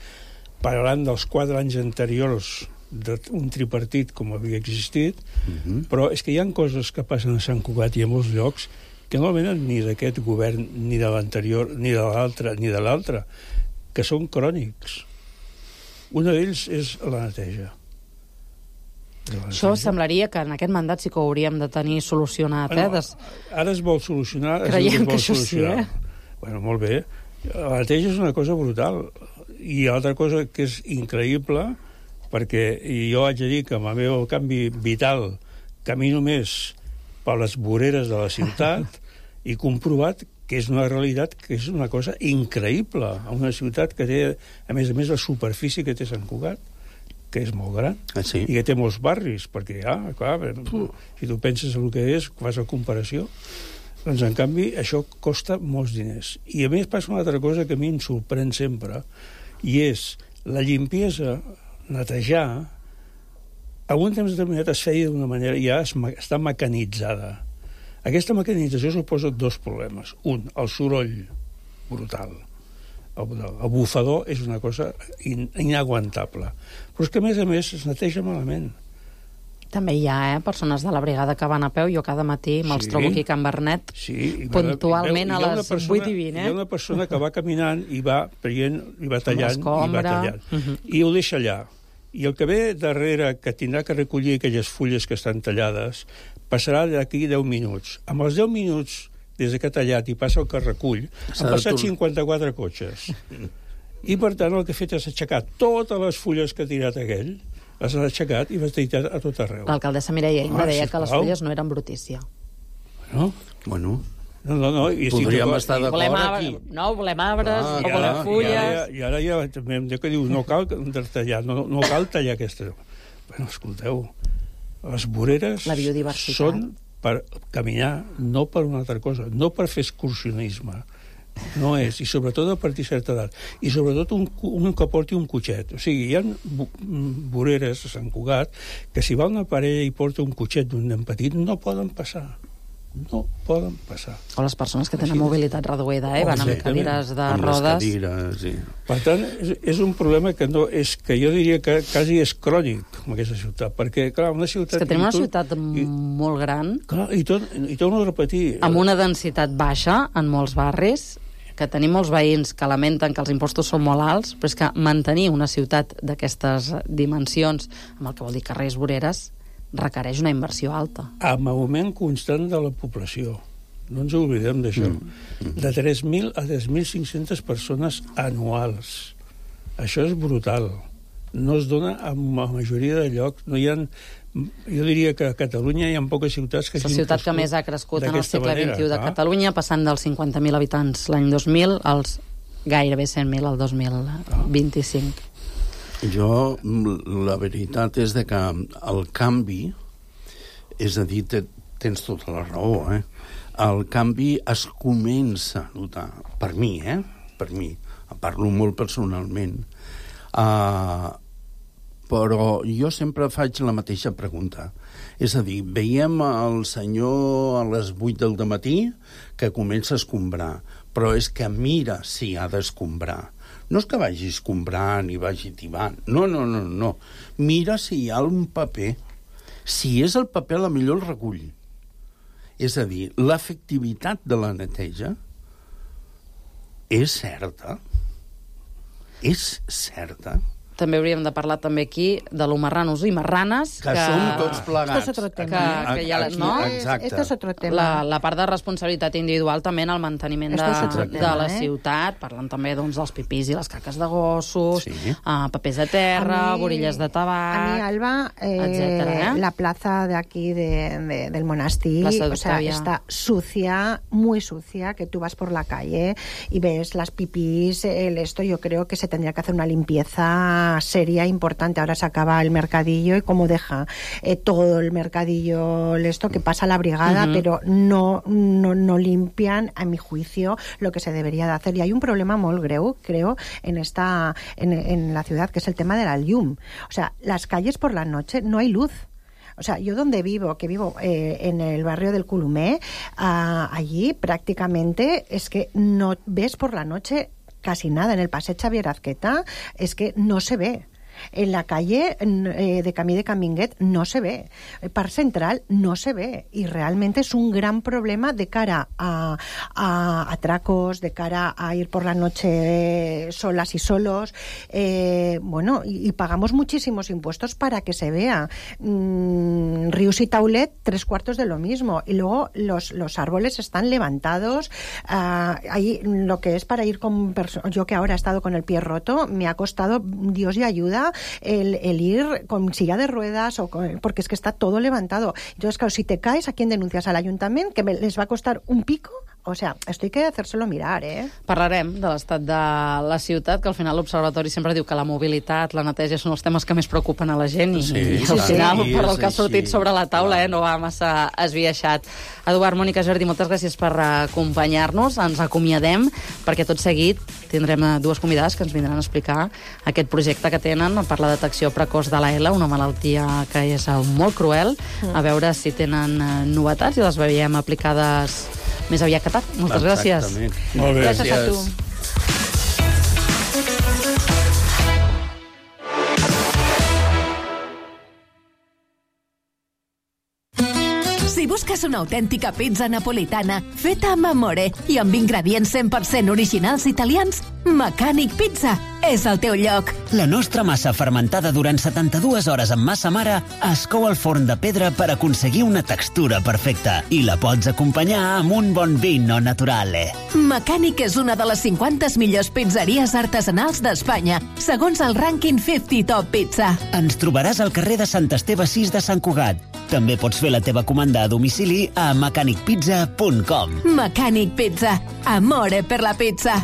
parlant dels 4 anys anteriors d'un tripartit com havia existit, però és que hi ha coses que passen a Sant Cugat i a molts llocs que no venen ni d'aquest govern, ni de l'anterior, ni de l'altre, que són crònics. Un d'ells és la neteja. Això semblaria que en aquest mandat sí que ho hauríem de tenir solucionat. Ara es vol solucionar. Creiem que això sí, Bueno, molt bé. La neteja és una cosa brutal. I altra cosa que és increïble, perquè jo haig de dir que amb el meu canvi vital camino més per les voreres de la ciutat i comprovat que és una realitat que és una cosa increïble. Una ciutat que té, a més, la superfície que té Sant Cugat, que és molt gran, i que té molts barris, perquè, clar, si tu penses en el que és, fas la comparació, doncs, en canvi, això costa molts diners. I, a més, passa una altra cosa que a mi em sorprèn sempre, i és la limpiesa, netejar, a un temps determinat es feia d'una manera, ja està mecanitzada. Aquesta mecanització suposa 2 problemes. Un, el soroll brutal. El bufador és una cosa inaguantable. Però és que, a més, es neteja malament. També hi ha persones de la brigada que van a peu. Jo cada matí me'ls trobo aquí a Can Bernet, puntualment a les 8 i 20. Hi ha una persona que va caminant i va traient, i va tallant, i ho deixa allà. I el que ve darrere, que tindrà que recollir aquelles fulles que estan tallades, passarà d'aquí 10 minuts. Amb els 10 minuts, des que ha tallat i passa el que recull, han passat 54 cotxes. I, per tant, el que ha fet és aixecar totes les fulles que ha tirat aquell, les ha aixecat i les ha tirat a tot arreu. L'alcaldessa Mireia Inda deia que les fulles no eren brutícia. Bueno... No, podríem estar d'acord aquí. No, volem arbres, no volem fulles... I ara ja també em diu que diu, no cal tallar, no cal tallar aquesta... Bueno, escolteu, les voreres són per caminar, no per una altra cosa, no per fer excursionisme. No és, i sobretot a partir de certa edat. I sobretot un que porti un cotxet. O sigui, hi ha voreres a Sant Cugat que si va una parella i porta un cotxet d'un nen petit no poden passar. No poden passar. O les persones que tenen mobilitat reduïda, van amb cadires de rodes. Per tant, és un problema que no és que jo diria que quasi és crònic en aquesta ciutat, perquè, clar, una ciutat... És que tenim una ciutat molt gran... Clar, i torno a repetir... Amb una densitat baixa en molts barris, que tenim molts veïns que lamenten que els impostos són molt alts, però és que mantenir una ciutat d'aquestes dimensions, amb el que vol dir carrers, voreres, requereix una inversió alta. Amb augment constant de la població. No ens oblidem d'això. De 3.000 a 3.500 persones anuals. Això és brutal. No es dona en la majoria de llocs. No hi ha... Jo diria que a Catalunya hi ha poques ciutats que... És la ciutat que més ha crescut en el segle XXI de Catalunya, passant dels 50.000 habitants l'any 2000 als gairebé 100.000 al 2025. Jo, la veritat és que el canvi, és a dir, tens tota la raó, el canvi es comença a notar, per mi, parlo molt personalment, però jo sempre faig la mateixa pregunta. És a dir, veiem el senyor a les 8 del matí que comença a escombrar, però és que mira si ha d'escombrar. No és que vagi escombrant i vagi tibant. No. Mira si hi ha un paper. Si és el paper, la millor el recull. És a dir, l'efectivitat de la neteja és certa. És certa. També hauríem de parlar també aquí de lo marranos i marranes. Que som tots plegats. Esto es otro tema. Que ja, no? Exacte. Esto es otro tema. La part de responsabilitat individual també en el manteniment de la ciutat. Parlen també doncs, dels pipís i les caques de gossos, papers de terra, borilles de tabac... A mí, Alba, etcétera, la plaza de aquí del monasterio, o sea, está sucia, muy sucia, que tú vas por la calle y ves las pipís, esto yo creo que se tendría que hacer una limpieza sería importante. Ahora se acaba el mercadillo y como deja todo el mercadillo esto que pasa a la brigada, pero no limpian, a mi juicio, lo que se debería de hacer. Y hay un problema muy greu, creo, en la ciudad, que es el tema de la llum. O sea, las calles por la noche no hay luz. O sea, yo donde vivo, en el barrio del Culumé, allí prácticamente es que no ves por la noche casi nada. En el Passeig Xavier Azqueta es que no se ve. En la calle de Camí de Caminguet no se ve. El Parc Central no se ve. Y realmente es un gran problema de cara a atracos, de cara a ir por la noche solas y solos. Bueno, y pagamos muchísimos impuestos para que se vea. Rius y Taulet, 3/4 de lo mismo. Y luego los árboles están levantados. Ahí lo que es para ir con... Yo que ahora he estado con el pie roto, me ha costado, Dios y ayuda, el ir con silla de ruedas porque es que está todo levantado. Entonces, claro, si te caes, ¿a quién denuncias? ¿Al ayuntamiento? ¿Que les va a costar un pico? O sea, esto hay que hacérselo mirar, Parlarem de l'estat de la ciutat, que al final l'Observatori sempre diu que la mobilitat, la neteja són els temes que més preocupen a la gent i al final, per el que ha sortit sobre la taula, no va massa esbiaixat. Eduard, Mònica, Jordi, moltes gràcies per acompanyar-nos. Ens acomiadem perquè tot seguit tindrem dues convidades que ens vindran a explicar aquest projecte que tenen per la detecció precoç de la ELA, una malaltia que és molt cruel. A veure si tenen novetats i les veiem aplicades més aviat que tard. Moltes gràcies. Molt bé. Gràcies a tu. Si busques una autèntica pizza napolitana feta amb amore i amb ingredients 100% originals italians, Mecànic Pizza és el teu lloc. La nostra massa fermentada durant 72 hores amb massa mare es cou al forn de pedra per aconseguir una textura perfecta i la pots acompanyar amb un bon vino naturale. Mecànic és una de les 50 millors pizzeries artesanals d'Espanya, segons el rànquing 50 Top Pizza. Ens trobaràs al carrer de Sant Esteve 6 de Sant Cugat. També pots fer la teva comanda a domicili a mecanicpizza.com. Mecànic Pizza. Amore per la pizza.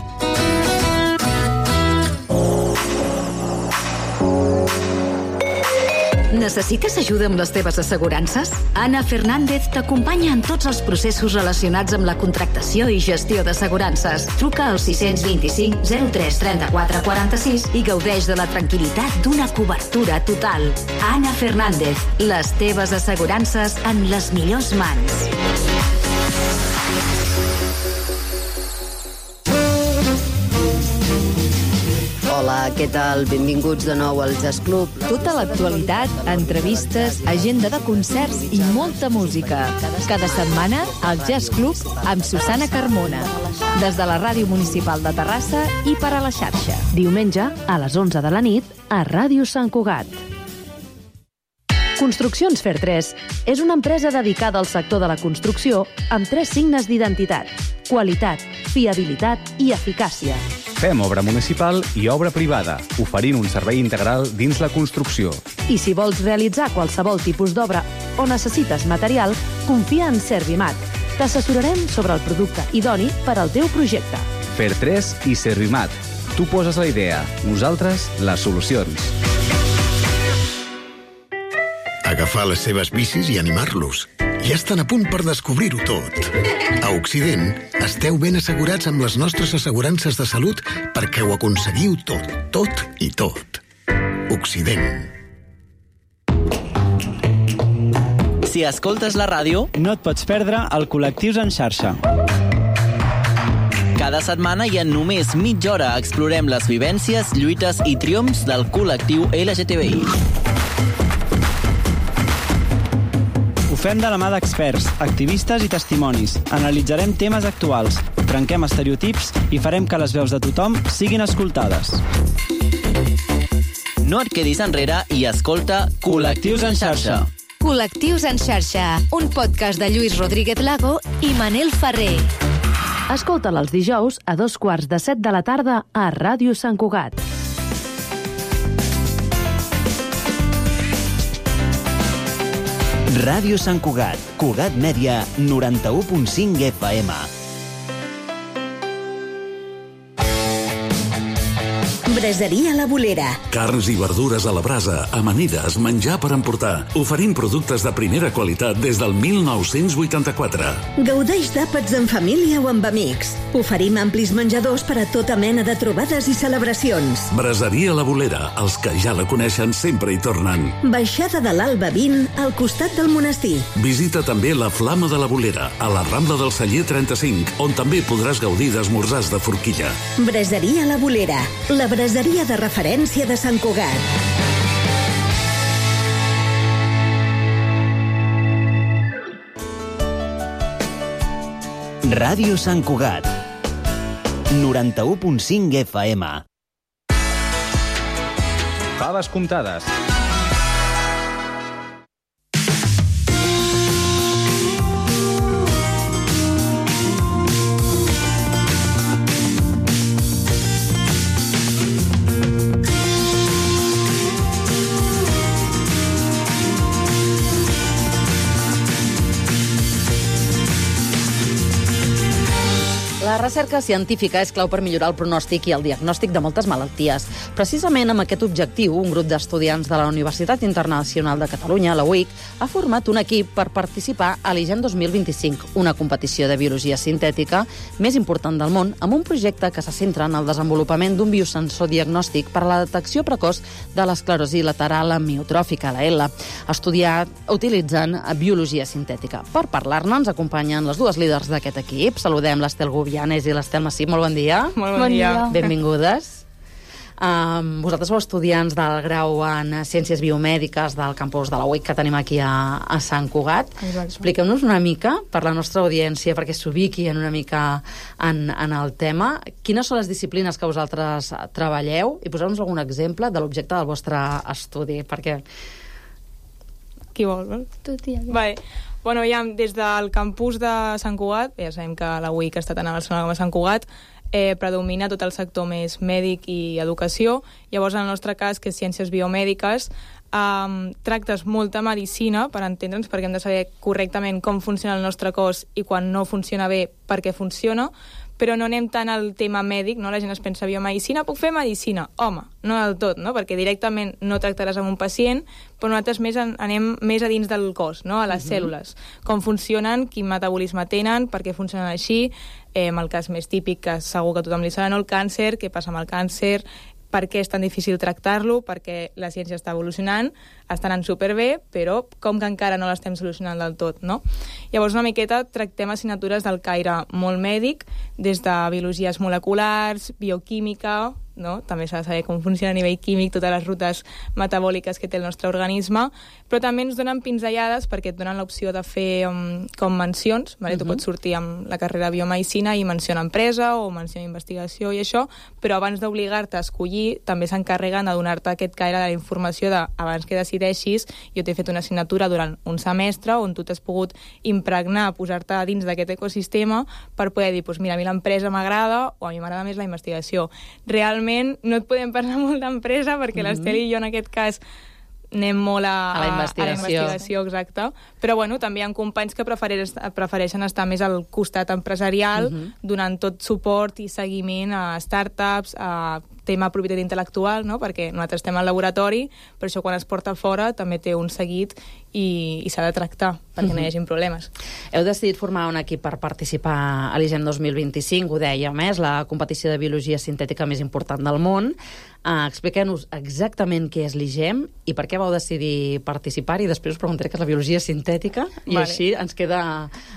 Necessites ajuda amb les teves assegurances? Ana Fernández t'acompanya en tots els processos relacionats amb la contractació i gestió d'assegurances. Truca al 625 03 34 46 i gaudeix de la tranquil·litat d'una cobertura total. Ana Fernández, les teves assegurances en les millors mans. Hola, què tal? Benvinguts de nou al Jazz Club. Tota l'actualitat, entrevistes, agenda de concerts i molta música. Cada setmana, al Jazz Club amb Susana Carmona. Des de la Ràdio Municipal de Terrassa i per a la xarxa. Diumenge, a les 11 de la nit, a Ràdio Sant Cugat. Construccions Fer 3 és una empresa dedicada al sector de la construcció amb 3 signes d'identitat: qualitat, fiabilitat i eficàcia. Fem obra municipal i obra privada, oferint un servei integral dins la construcció. I si vols realitzar qualsevol tipus d'obra o necessites material, confia en Servimat. T'assessorarem sobre el producte idoni per al teu projecte. Fer 3 i Servimat. Tu poses la idea, nosaltres les solucions. Agafar les seves bicis i animar-los. Ja estan a punt per descobrir-ho tot. A Occident, esteu ben assegurats amb les nostres assegurances de salut perquè ho aconseguiu tot, tot i tot. Occident. Si escoltes la ràdio, no et pots perdre el Col·lectius en xarxa. Cada setmana i en només mitja hora explorem les vivències, lluites i triomfs del col·lectiu LGTBI. Ho fem de la mà d'experts, activistes i testimonis. Analitzarem temes actuals, trenquem estereotips i farem que les veus de tothom siguin escoltades. No et quedis enrere i escolta Col·lectius en xarxa. Col·lectius en xarxa, un podcast de Lluís Rodríguez Lago i Manel Ferrer. Escolta'l els dijous a 6:45 de la tarda a Ràdio Sant Cugat. Ràdio Sant Cugat, Cugat Mèdia, 91.5 FM. Braseria La Bolera. Carns i verdures a la brasa, amanides, menjar per emportar. Oferim productes de primera qualitat des del 1984. Gaudeix d'àpats en família o amb amics. Oferim amplis menjadors per a tota mena de trobades i celebracions. Braseria La Bolera. Els que ja la coneixen sempre hi tornen. Baixada de l'Alba 20, al costat del monestir. Visita també la Flama de la Bolera, a la Rambla del Celler 35, on també podràs gaudir d'esmorzars de forquilla. Braseria La Bolera. La braseria de referència de Sant Cugat. Ràdio Sant Cugat, 91.5 FM. Faves comptades. La recerca científica és clau per millorar el pronòstic i el diagnòstic de moltes malalties. Precisament amb aquest objectiu, un grup d'estudiants de la Universitat Internacional de Catalunya, la UIC, ha format un equip per participar a l'IGEN 2025, una competició de biologia sintètica més important del món, amb un projecte que se centra en el desenvolupament d'un biosensor diagnòstic per a la detecció precoç de l'esclerosi lateral amiotròfica, la ELA, estudiat utilitzant biologia sintètica. Per parlar-ne ens acompanyen les dues líders d'aquest equip. Saludem l'Estel Gubianes i l'Estel Massip. Molt bon dia. Molt bon dia. Benvingudes. Vosaltres sou estudiants del grau en Ciències Biomèdiques del campus de la UIC que tenim aquí a Sant Cugat. Expliqueu-nos una mica, per la nostra audiència, perquè s'ubiquin una mica en el tema, quines són les disciplines que vosaltres treballeu i poseu-nos algun exemple de l'objecte del vostre estudi, perquè... Qui vol? Tu, tia. Vale. Bueno, ja, des del campus de Sant Cugat, ja sabem que la UIC està tant a Barcelona com a Sant Cugat, predomina tot el sector més mèdic i educació. Llavors, en el nostre cas, que és Ciències Biomèdiques, tractes molta medicina per entendre'ns, perquè hem de saber correctament com funciona el nostre cos i quan no funciona bé, per què funciona, però no anem tant al tema mèdic, no? La gent es pensa biomedicina, puc fer medicina? Home, no del tot, no? Perquè directament no tractaràs amb un pacient, però nosaltres anem més a dins del cos, no? A les cèl·lules. Com funcionen, quin metabolisme tenen, per què funcionen així, el cas més típic que segur que a tothom li serà, no? El càncer, què passa amb el càncer, per què és tan difícil tractar-lo, perquè la ciència està evolucionant, està anant superbé, però com que encara no l'estem solucionant del tot, no? Llavors, una miqueta tractem assignatures del caire molt mèdic, des de biologies moleculars, bioquímica, no? També s'ha de saber com funciona a nivell químic totes les rutes metabòliques que té el nostre organisme, però també ens donen pinzellades perquè et donen l'opció de fer com mencions, vale? Tu pots sortir amb la carrera de biomedicina i menciona empresa o menciona investigació i això, però abans d'obligar-te a escollir també s'encarreguen de donar-te aquest caire de la informació de abans que decideixis, jo t'he fet una assignatura durant un semestre on tu t'has pogut impregnar, posar-te dins d'aquest ecosistema per poder dir, doncs mira, a mi l'empresa m'agrada o a mi m'agrada més la investigació. Realment no et podem parlar molt d'empresa perquè l'Estel i jo en aquest cas anem molt a la investigació, exacte. Però bueno, també hi ha companys que prefereixen estar més al costat empresarial, donant tot suport i seguiment a startups, a tema propietat intel·lectual, no? Perquè nosaltres estem al laboratori, però això quan es porta fora també té un seguit i s'ha de tractar perquè no hi hagi problemes. Heu decidit formar un equip per participar a l'IGEM 2025, ho dèiem, és la competició de biologia sintètica més important del món. Expliqueu-nos exactament què és l'IGEM i per què vau decidir participar, i després us preguntaré què és la biologia sintètica, i així ens queda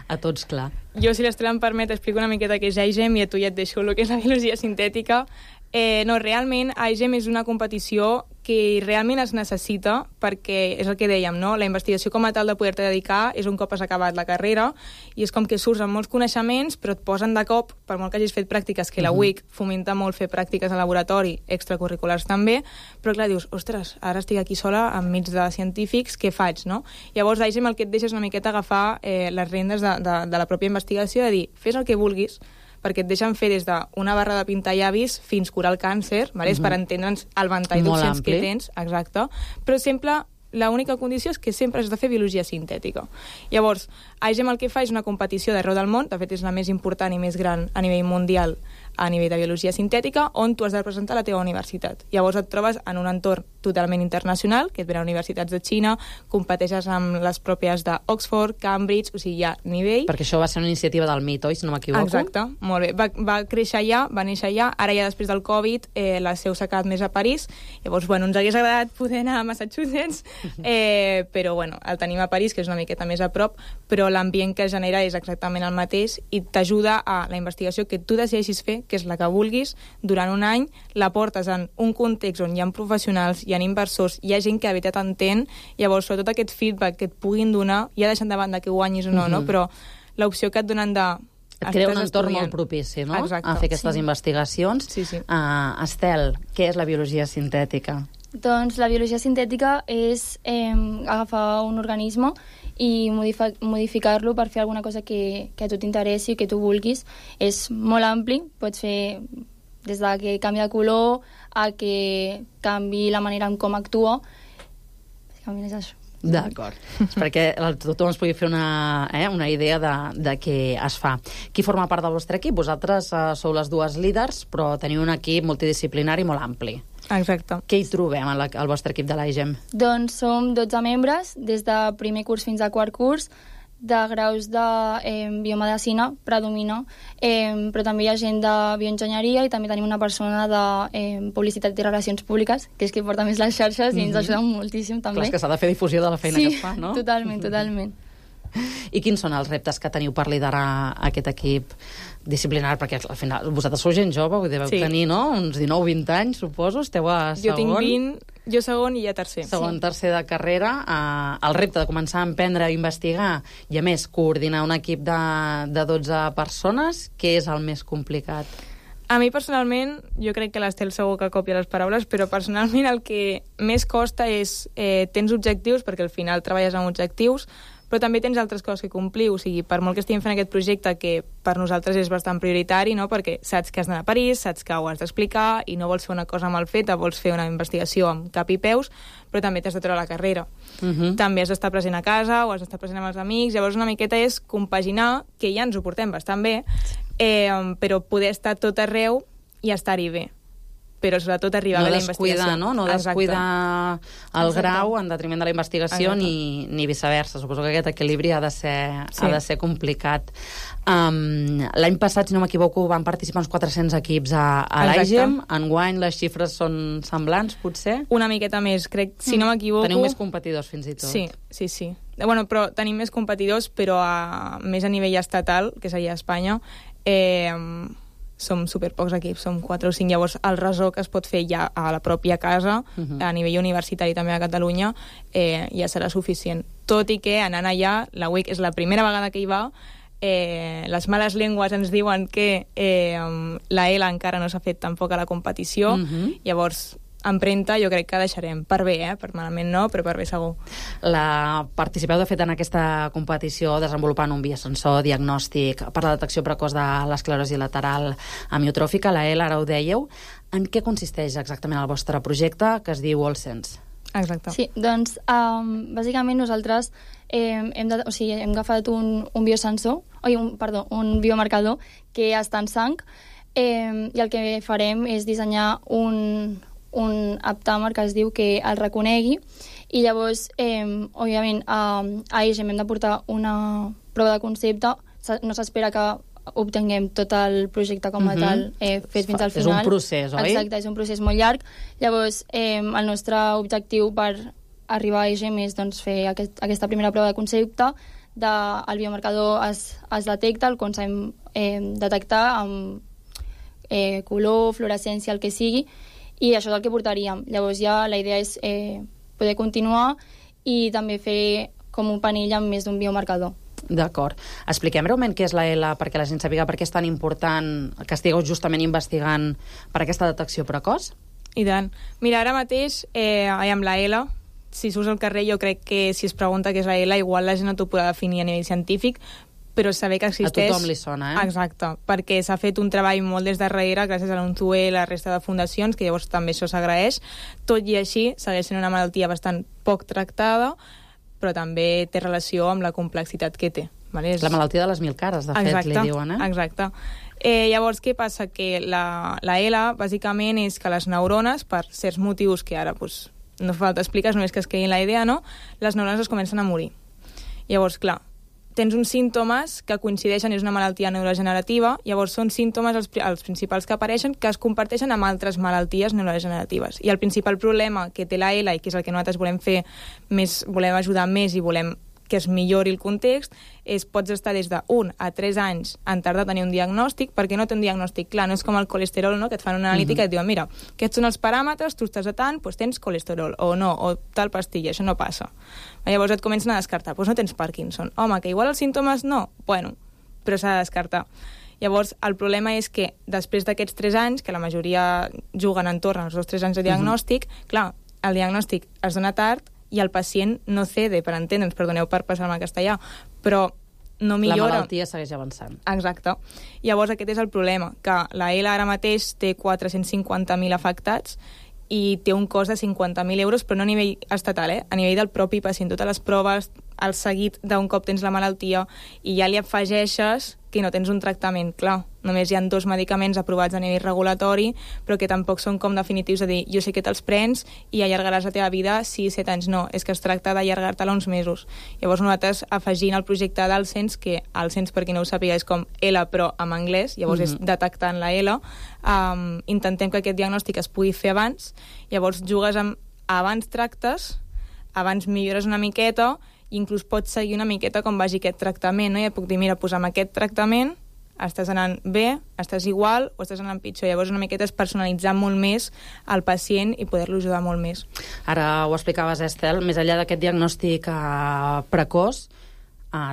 a tots clar. Jo, si l'Estela em permet, explico una miqueta què és IGEM i a tu ja et deixo el que és la biologia sintètica. No, realment, IGEM és una competició que realment es necessita perquè, és el que dèiem, no? La investigació com a tal de poder-te dedicar és un cop has acabat la carrera i és com que surts amb molts coneixements però et posen de cop, per molt que hagis fet pràctiques, que la UIC fomenta molt fer pràctiques al laboratori, extracurriculars també, però clar, dius, ostres, ara estic aquí sola enmig de científics, què faig, no? Llavors, IGEM el que et deixa és una miqueta agafar les rendes de la pròpia investigació, de dir, fes el que vulguis, perquè et deixen fer des d'una barra de pintar llavis fins curar el càncer, és per entendre'ns el ventall d'opcions que tens, exacte, però sempre l'única condició és que sempre has de fer biologia sintètica. Llavors, IGEM el que fa és una competició d'arreu del món, de fet és la més important i més gran a nivell mundial a nivell de biologia sintètica, on tu has de presentar la teva universitat. Llavors et trobes en un entorn totalment internacional, que et venen universitats de Xina, competeixes amb les pròpies d'Oxford, Cambridge, o sigui, hi ha nivell. Perquè això va ser una iniciativa del MIT, oi, si no m'equivoco? Exacte, molt bé. Va créixer allà, va néixer allà, ara ja després del Covid la seu s'ha quedat més a París, llavors, bueno, ens hagués agradat poder anar a Massachusetts, però, bueno, el tenim a París, que és una miqueta més a prop, però l'ambient que genera és exactament el mateix i t'ajuda a la investigació que tu decideixis fer, que és la que vulguis, durant un any, la portes en un context on hi ha professionals, hi ha inversors, hi ha gent que de veritat entén, llavors, sobretot aquest feedback que et puguin donar, ja deixant de banda que guanyis o no, no? Però l'opció que et donen de... Et crea un entorn molt propici, no? Exacte. A fer aquestes investigacions. Sí, sí. Estel, què és la biologia sintètica? Doncs la biologia sintètica és agafar un organisme i modificar-lo per fer alguna cosa que a tu t'interessi, que tu vulguis. És molt ampli, pots fer des de que canvi de color a que canvi la manera en com actua. Bàsicament és això. D'acord. Perquè tothom es pugui fer una idea de què es fa. Qui forma part del vostre equip? Vosaltres sou les dues líders, però teniu un equip multidisciplinari molt ampli. Exacte. Què hi trobem al vostre equip de l'IGEM? Doncs som 12 membres, des de primer curs fins a quart curs, de graus de biomedicina, predomina, però també hi ha gent de bioenginyeria i també tenim una persona de publicitat i relacions públiques, que és que porta més les xarxes i ens ajuda moltíssim també. Clar, és que s'ha de fer difusió de la feina que es fa, no? Sí, totalment, totalment. I quins són els reptes que teniu per liderar aquest equip disciplinari? Perquè al final vosaltres sou gent jove, deveu tenir, no? Uns 19-20 anys, suposo, esteu a segon. Jo tinc 20, jo segon i ja tercer. Segon, tercer de carrera. El repte de començar a emprendre, a investigar i, a més, coordinar un equip de 12 persones, què és el més complicat? A mi, personalment, jo crec que l'Estel segur que copia les paraules, però personalment el que més costa és tens objectius, perquè al final treballes amb objectius, però també tens altres coses que complir, o sigui, per molt que estiguem fent aquest projecte, que per nosaltres és bastant prioritari, no? Perquè saps que has d'anar a París, saps que ho has d'explicar i no vols fer una cosa mal feta, vols fer una investigació amb cap i peus, però també t'has de treure la carrera. També has d'estar present a casa o has d'estar present amb els amics, llavors una miqueta és compaginar, que ja ens ho portem bastant bé, però poder estar tot arreu i estar-hi bé. Però sobretot arribar a la investigació. No descuidar el grau en detriment de la investigació ni viceversa. Suposo que aquest equilibri ha de ser complicat. L'any passat, si no m'equivoco, van participar uns 400 equips a l'IGEM. Enguany les xifres són semblants, potser? Una miqueta més, crec, si no m'equivoco. Teniu més competidors, fins i tot. Sí. Bueno, però tenim més competidors, però més a nivell estatal, que seria Espanya, som superpocs equips, som 4 o 5, llavors el resó que es pot fer ja a la pròpia casa, a nivell universitari també a Catalunya, ja serà suficient. Tot i que anant allà, la UIC és la primera vegada que hi va, les males llengües ens diuen que la ELA encara no s'ha fet tampoc a la competició, llavors empremta jo crec que deixarem, per bé, per malament no, però per bé segur. Participeu de fet en aquesta competició desenvolupant un biosensor diagnòstic per la detecció precoç de l'esclerosi lateral amiotròfica, la ELA, ara ho dèieu. En què consisteix exactament el vostre projecte, que es diu AllSense? Exacte. Sí, doncs bàsicament nosaltres hem agafat un biosensor, un biomarcador que està en sang, i el que farem és dissenyar un aptàmer que es diu que el reconegui, i llavors, òbviament, a EGEM hem de portar una prova de concepte, no s'espera que obtinguem tot el projecte com a tal fet fins al final. És un procés, oi? Exacte, és un procés molt llarg. Llavors, el nostre objectiu per arribar a EGEM és fer aquesta primera prova de concepte. El biomarcador es detecta, el com sabem detectar amb color, fluorescència, el que sigui, i això és el que portaríem. Llavors ja la idea és poder continuar i també fer com un panell amb més d'un biomarcador. D'acord. Expliquem breument què és la ELA perquè la gent sàpiga per què és tan important que estigueu justament investigant per aquesta detecció precoç. I tant. Mira, ara mateix, amb la ELA, si surts al carrer, jo crec que si es pregunta què és la ELA, igual la gent no t'ho podrà definir a nivell científic, però saber que existeix... A tothom li sona, Exacte, perquè s'ha fet un treball molt des darrere, gràcies a l'UNTUE i la resta de fundacions, que llavors també això s'agraeix. Tot i així, segueix sent una malaltia bastant poc tractada, però també té relació amb la complexitat que té. Vale? La malaltia de les 1000 cares, de fet, li diuen, Exacte. Llavors, què passa? Que la ELA, bàsicament, és que les neurones, per certs motius que ara no fa falta explicar, només que es quedin la idea, no? Les neurones es comencen a morir. Llavors, clar, tens uns símptomes que coincideixen, és una malaltia neurodegenerativa, llavors són símptomes els principals que apareixen que es comparteixen amb altres malalties neurodegeneratives. I el principal problema que té la ELA, i que és el que nosaltres volem fer més, volem ajudar més i volem que es millori el context, és pots estar des de 1 a 3 anys en tardar a tenir un diagnòstic, perquè no té un diagnòstic clar, no és com el colesterol, no? Que et fan una analítica i et diuen, mira, aquests són els paràmetres, tu estàs a tant, doncs tens colesterol, o no, o tal pastilla, això no passa. Llavors et comencen a descartar, doncs no tens Parkinson. Home, que igual els símptomes no, bueno, però s'ha de descartar. Llavors, el problema és que després d'aquests 3 anys, que la majoria juguen entorn als 2-3 anys de diagnòstic, clar, el diagnòstic es dona tard i el pacient no cede, per entendre'ns, perdoneu per passar-me al castellà, però no millora. La malaltia segueix avançant. Exacte. Llavors aquest és el problema, que la ELA ara mateix té 450.000 afectats i té un cost de 50.000 euros, però no a nivell estatal, a nivell del propi pacient. Totes les proves, el seguit d'un cop tens la malaltia, i ja li afegeixes que no tens un tractament clar. Només hi ha 2 medicaments aprovats a nivell regulatori, però que tampoc són com definitius, de dir, jo sé que te'ls prens i allargaràs la teva vida 6-7 anys. No, és que es tracta d'allargar-te-la uns mesos. Llavors nosaltres, afegint el projecte d'Alcens, que Alcens, per qui no ho sàpiga, és com ELA, però en anglès, llavors és detectant la ELA, intentem que aquest diagnòstic es pugui fer abans, llavors jugues amb abans tractes, abans millores una miqueta, i inclús pots seguir una miqueta com vagi aquest tractament, no? I et puc dir, mira, amb aquest tractament estàs anant bé, estàs igual o estàs anant pitjor. Llavors una miqueta és personalitzar molt més el pacient i poder-lo ajudar molt més. Ara ho explicaves, Estel, més enllà d'aquest diagnòstic precoç,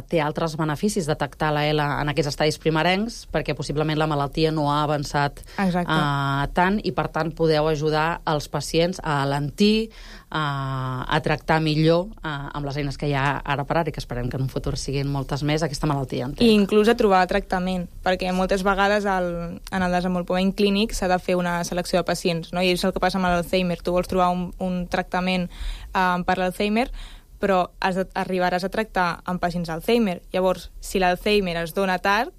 té altres beneficis detectar la ELA en aquests estadis primerencs, perquè possiblement la malaltia no ha avançat tant, i per tant podeu ajudar els pacients a alentir, a tractar millor amb les eines que hi ha ara per ara, i que esperem que en un futur siguin moltes més, aquesta malaltia. I inclús a trobar tractament, perquè moltes vegades en el desenvolupament clínic s'ha de fer una selecció de pacients, no? I és el que passa amb l'Alzheimer. Tu vols trobar un tractament per l'Alzheimer, però arribaràs a tractar amb pacients d'Alzheimer. Llavors, si l'Alzheimer es dona tard,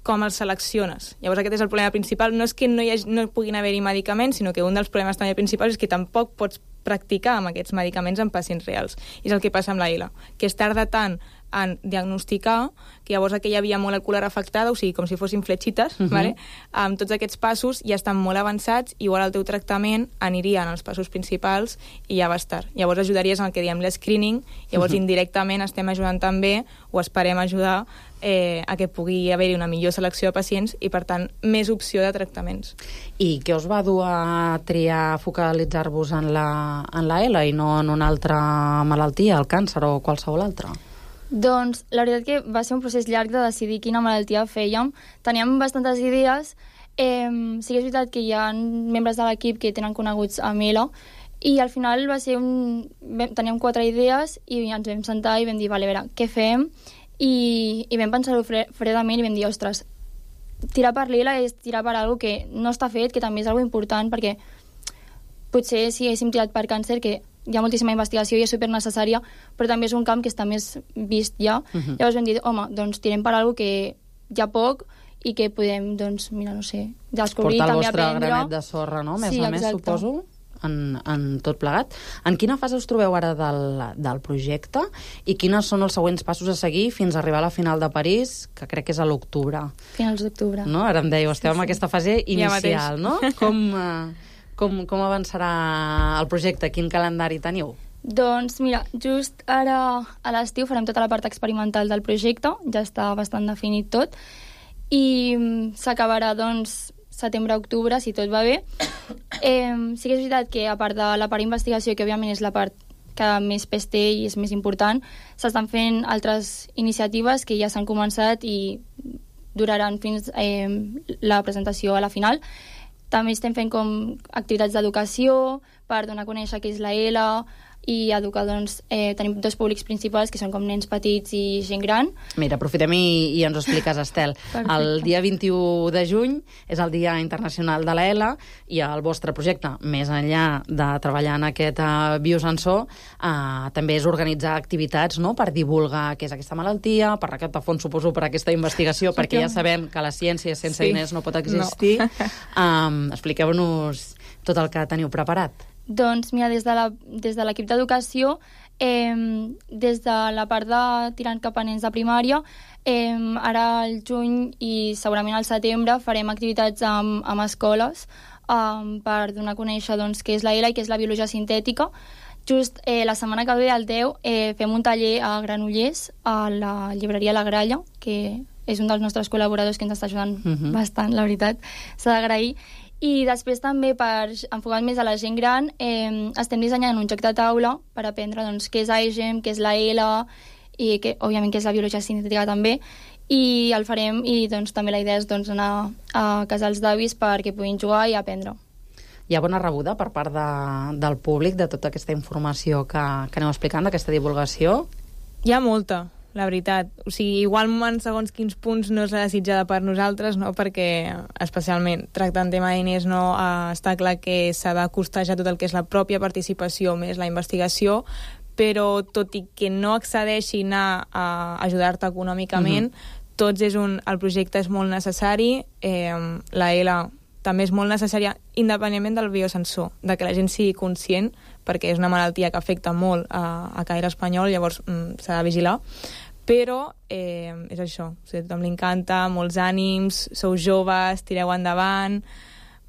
com els selecciones? Llavors aquest és el problema principal. No és que no puguin haver-hi medicaments, sinó que un dels problemes també principals és que tampoc pots practicar amb aquests medicaments en pacients reals. I és el que passa amb la ELA, que es tarda tant en diagnosticar, que llavors aquella via molecular afectada, o sigui, com si fossin fletxites, vale? Amb tots aquests passos ja estan molt avançats, igual el teu tractament aniria en els passos principals i ja va estar. Llavors ajudaries en el que diem l'escreening, llavors indirectament estem ajudant també, o esperem ajudar, a que pugui haver-hi una millor selecció de pacients i, per tant, més opció de tractaments. I què us va dur a triar focalitzar-vos en la ELA i no en una altra malaltia, el càncer o qualsevol altra? Doncs la veritat que va ser un procés llarg de decidir quina malaltia fèiem. Teníem bastantes idees. Sí que és veritat que hi ha membres de l'equip que tenen coneguts amb ELA, i al final va ser teníem 4 idees i ens vam sentar i vam dir, vale, a veure, què fem? I vam pensar-ho fredament i vam dir, ostres, tirar per l'ELA és tirar per alguna que no està fet, que també és alguna important, perquè potser si haguéssim tirat per càncer, que hi ha moltíssima investigació i és supernecessària, però també és un camp que està més vist ja. Llavors vam dir, home, doncs tirem per alguna que hi ha poc i que podem, doncs, mira, no sé, descobrir, també aprendre. Portar el vostre granet de sorra, no? Més a més, suposo, en tot plegat. En quina fase us trobeu ara del projecte i quines són els següents passos a seguir fins a arribar a la final de París, que crec que és a l'octubre? Finals d'octubre. No? Ara em dèieu, esteu en aquesta fase inicial, no? Com avançarà el projecte? Quin calendari teniu? Doncs mira, just ara a l'estiu farem tota la part experimental del projecte, ja està bastant definit tot, i s'acabarà, doncs, setembre-octubre, si tot va bé. Sí que és veritat que, a part de la part d'investigació, que òbviament és la part que més pes té i és més important, s'estan fent altres iniciatives que ja s'han començat i duraran fins la presentació a la final. També estem fent com activitats d'educació per donar a conèixer què és la ELA i educar, doncs, tenim dos públics principals que són com nens petits i gent gran. Mira, aprofitem i ens ho expliques, Estel. Perfecte. El dia 21 de juny és el Dia Internacional de la ELA i el vostre projecte, més enllà de treballar en aquest biosensor, també és organitzar activitats, no?, per divulgar què és aquesta malaltia, per recaptar fons, suposo, per aquesta investigació, perquè ja sabem que la ciència sense diners no pot existir. No. Expliqueu-nos tot el que teniu preparat. Doncs mira, des de l'equip d'educació, des de la part de tirant cap a nens de primària, ara al juny i segurament al setembre farem activitats amb escoles per donar a conèixer, doncs, què és la ELA i què és la biologia sintètica. Just la setmana que ve, el 10, fem un taller a Granollers, a la llibreria La Gralla, que és un dels nostres col·laboradors que ens està ajudant bastant, la veritat, s'ha d'agrair. I després també, per enfocar més a la gent gran, estem dissenyant un joc de taula per aprendre, doncs, què és AIGEM, què és la ELA i que, òbviament, què és la biologia sintètica també, i el farem, i doncs també la idea és, doncs, anar a casals d'avis perquè puguin jugar i aprendre. Hi ha bona rebuda per part del públic de tota aquesta informació que aneu explicant, d'aquesta divulgació? Hi ha molta, la veritat. O sigui, igual en segons quins punts no és la desitjada per nosaltres, no? Perquè, especialment, tractant tema de diners, no, està clar que s'ha de costejar tot el que és la pròpia participació més la investigació, però tot i que no accedeixin a ajudar-te econòmicament, el projecte és molt necessari, la ELA també és molt necessària, independentment del biosensor, de que la gent sigui conscient, perquè és una malaltia que afecta molt a caire espanyol, llavors s'ha de vigilar, però és això, o sigui, a tothom li encanta, molts ànims, sou joves, tireu endavant,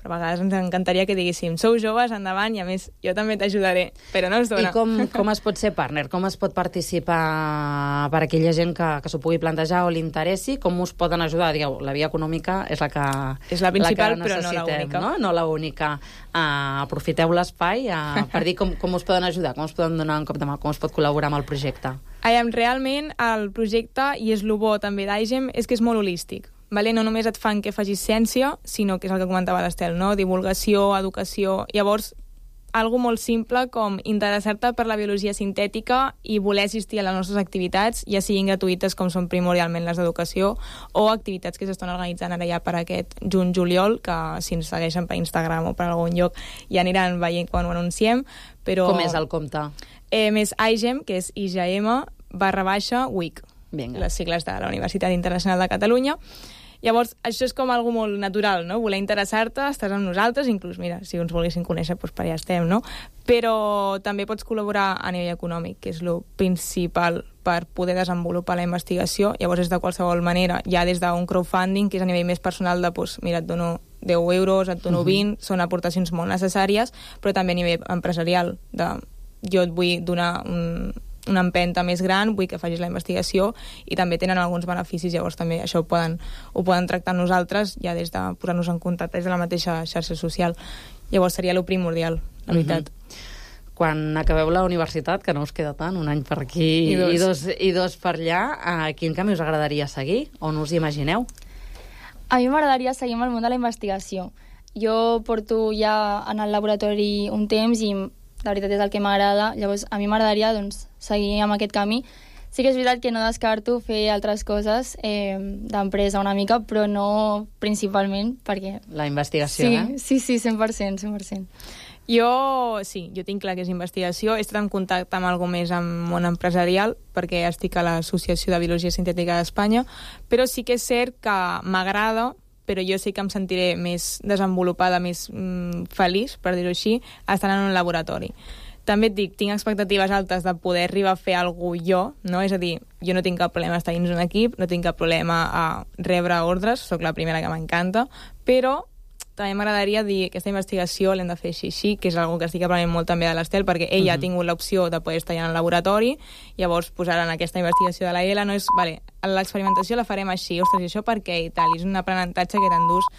però a vegades ens encantaria que diguéssim, sou joves, endavant, i a més jo també t'ajudaré, però no es dona. I com es pot ser partner? Com es pot participar per aquella gent que s'ho pugui plantejar o li interessi? Com us poden ajudar? Digueu, la via econòmica és la que és la principal, però no l'única. No la única. Aprofiteu l'espai per dir com us poden ajudar, com us poden donar un cop de mà, com es pot col·laborar amb el projecte. Realment, el projecte, i és el bo també d'AIGEM, és que és molt holístic. Vale? No només et fan que facis ciència, sinó que és el que comentava l'Estel, no? Divulgació, educació. Llavors, algo molt simple com interessar-te per la biologia sintètica i voler assistir a les nostres activitats, ja siguin gratuïtes com són primordialment les d'educació, o activitats que s'estan organitzant ara ja per aquest juny-juliol, que si ens segueixen per Instagram o per algun lloc ja aniran veient quan ho anunciem. Però... Com és el compte? Més AIGEM, que és IGM/WIC, les sigles de la Universitat Internacional de Catalunya. Llavors, això és com algo molt natural, no? Voler interessar-te, estàs amb nosaltres, inclús, mira, si ens volguessin conèixer, doncs per allà estem, no? Però també pots col·laborar a nivell econòmic, que és el principal per poder desenvolupar la investigació. Llavors, és de qualsevol manera, ja des d'un crowdfunding, que és a nivell més personal de, doncs, mira, et dono 10 euros, et dono 20, són aportacions molt necessàries, però també a nivell empresarial, jo et vull donar una empenta més gran, vull que facis la investigació, i també tenen alguns beneficis, llavors també això ho poden tractar nosaltres, ja des de posar-nos en contacte des de la mateixa xarxa social. Llavors seria lo primordial, la veritat. Quan acabeu la universitat, que no us queda tant, un any per aquí i dos per allà, quin camí us agradaria seguir? On us imagineu? A mi m'agradaria seguir amb el món de la investigació. Jo porto ja en el laboratori un temps i la veritat és el que m'agrada, llavors a mi m'agradaria, doncs, seguir amb aquest camí. Sí que és veritat que no descarto fer altres coses d'empresa una mica, però no principalment, perquè... La investigació, sí, 100%. Jo tinc clar que és investigació. He estat en contacte amb algú més amb món empresarial, perquè estic a l'Associació de Biologia Sintètica d'Espanya, però sí que és cert que m'agrada, però jo sé que em sentiré més desenvolupada, més feliç, per dir-ho així, estant en un laboratori. També et dic, tinc expectatives altes de poder arribar a fer alguna cosa jo, no? És a dir, jo no tinc cap problema a estar dins un equip, no tinc cap problema a rebre ordres, sóc la primera que m'encanta, però també m'agradaria dir que aquesta investigació l'hem de fer així, que és una que estic aprenent molt també de l'Estel, perquè ella ha tingut l'opció de poder estar allà en el laboratori, llavors posar en aquesta investigació de la ELA no és, vale, l'experimentació la farem així, ostres, i això per què? I tal, és un aprenentatge que t'endús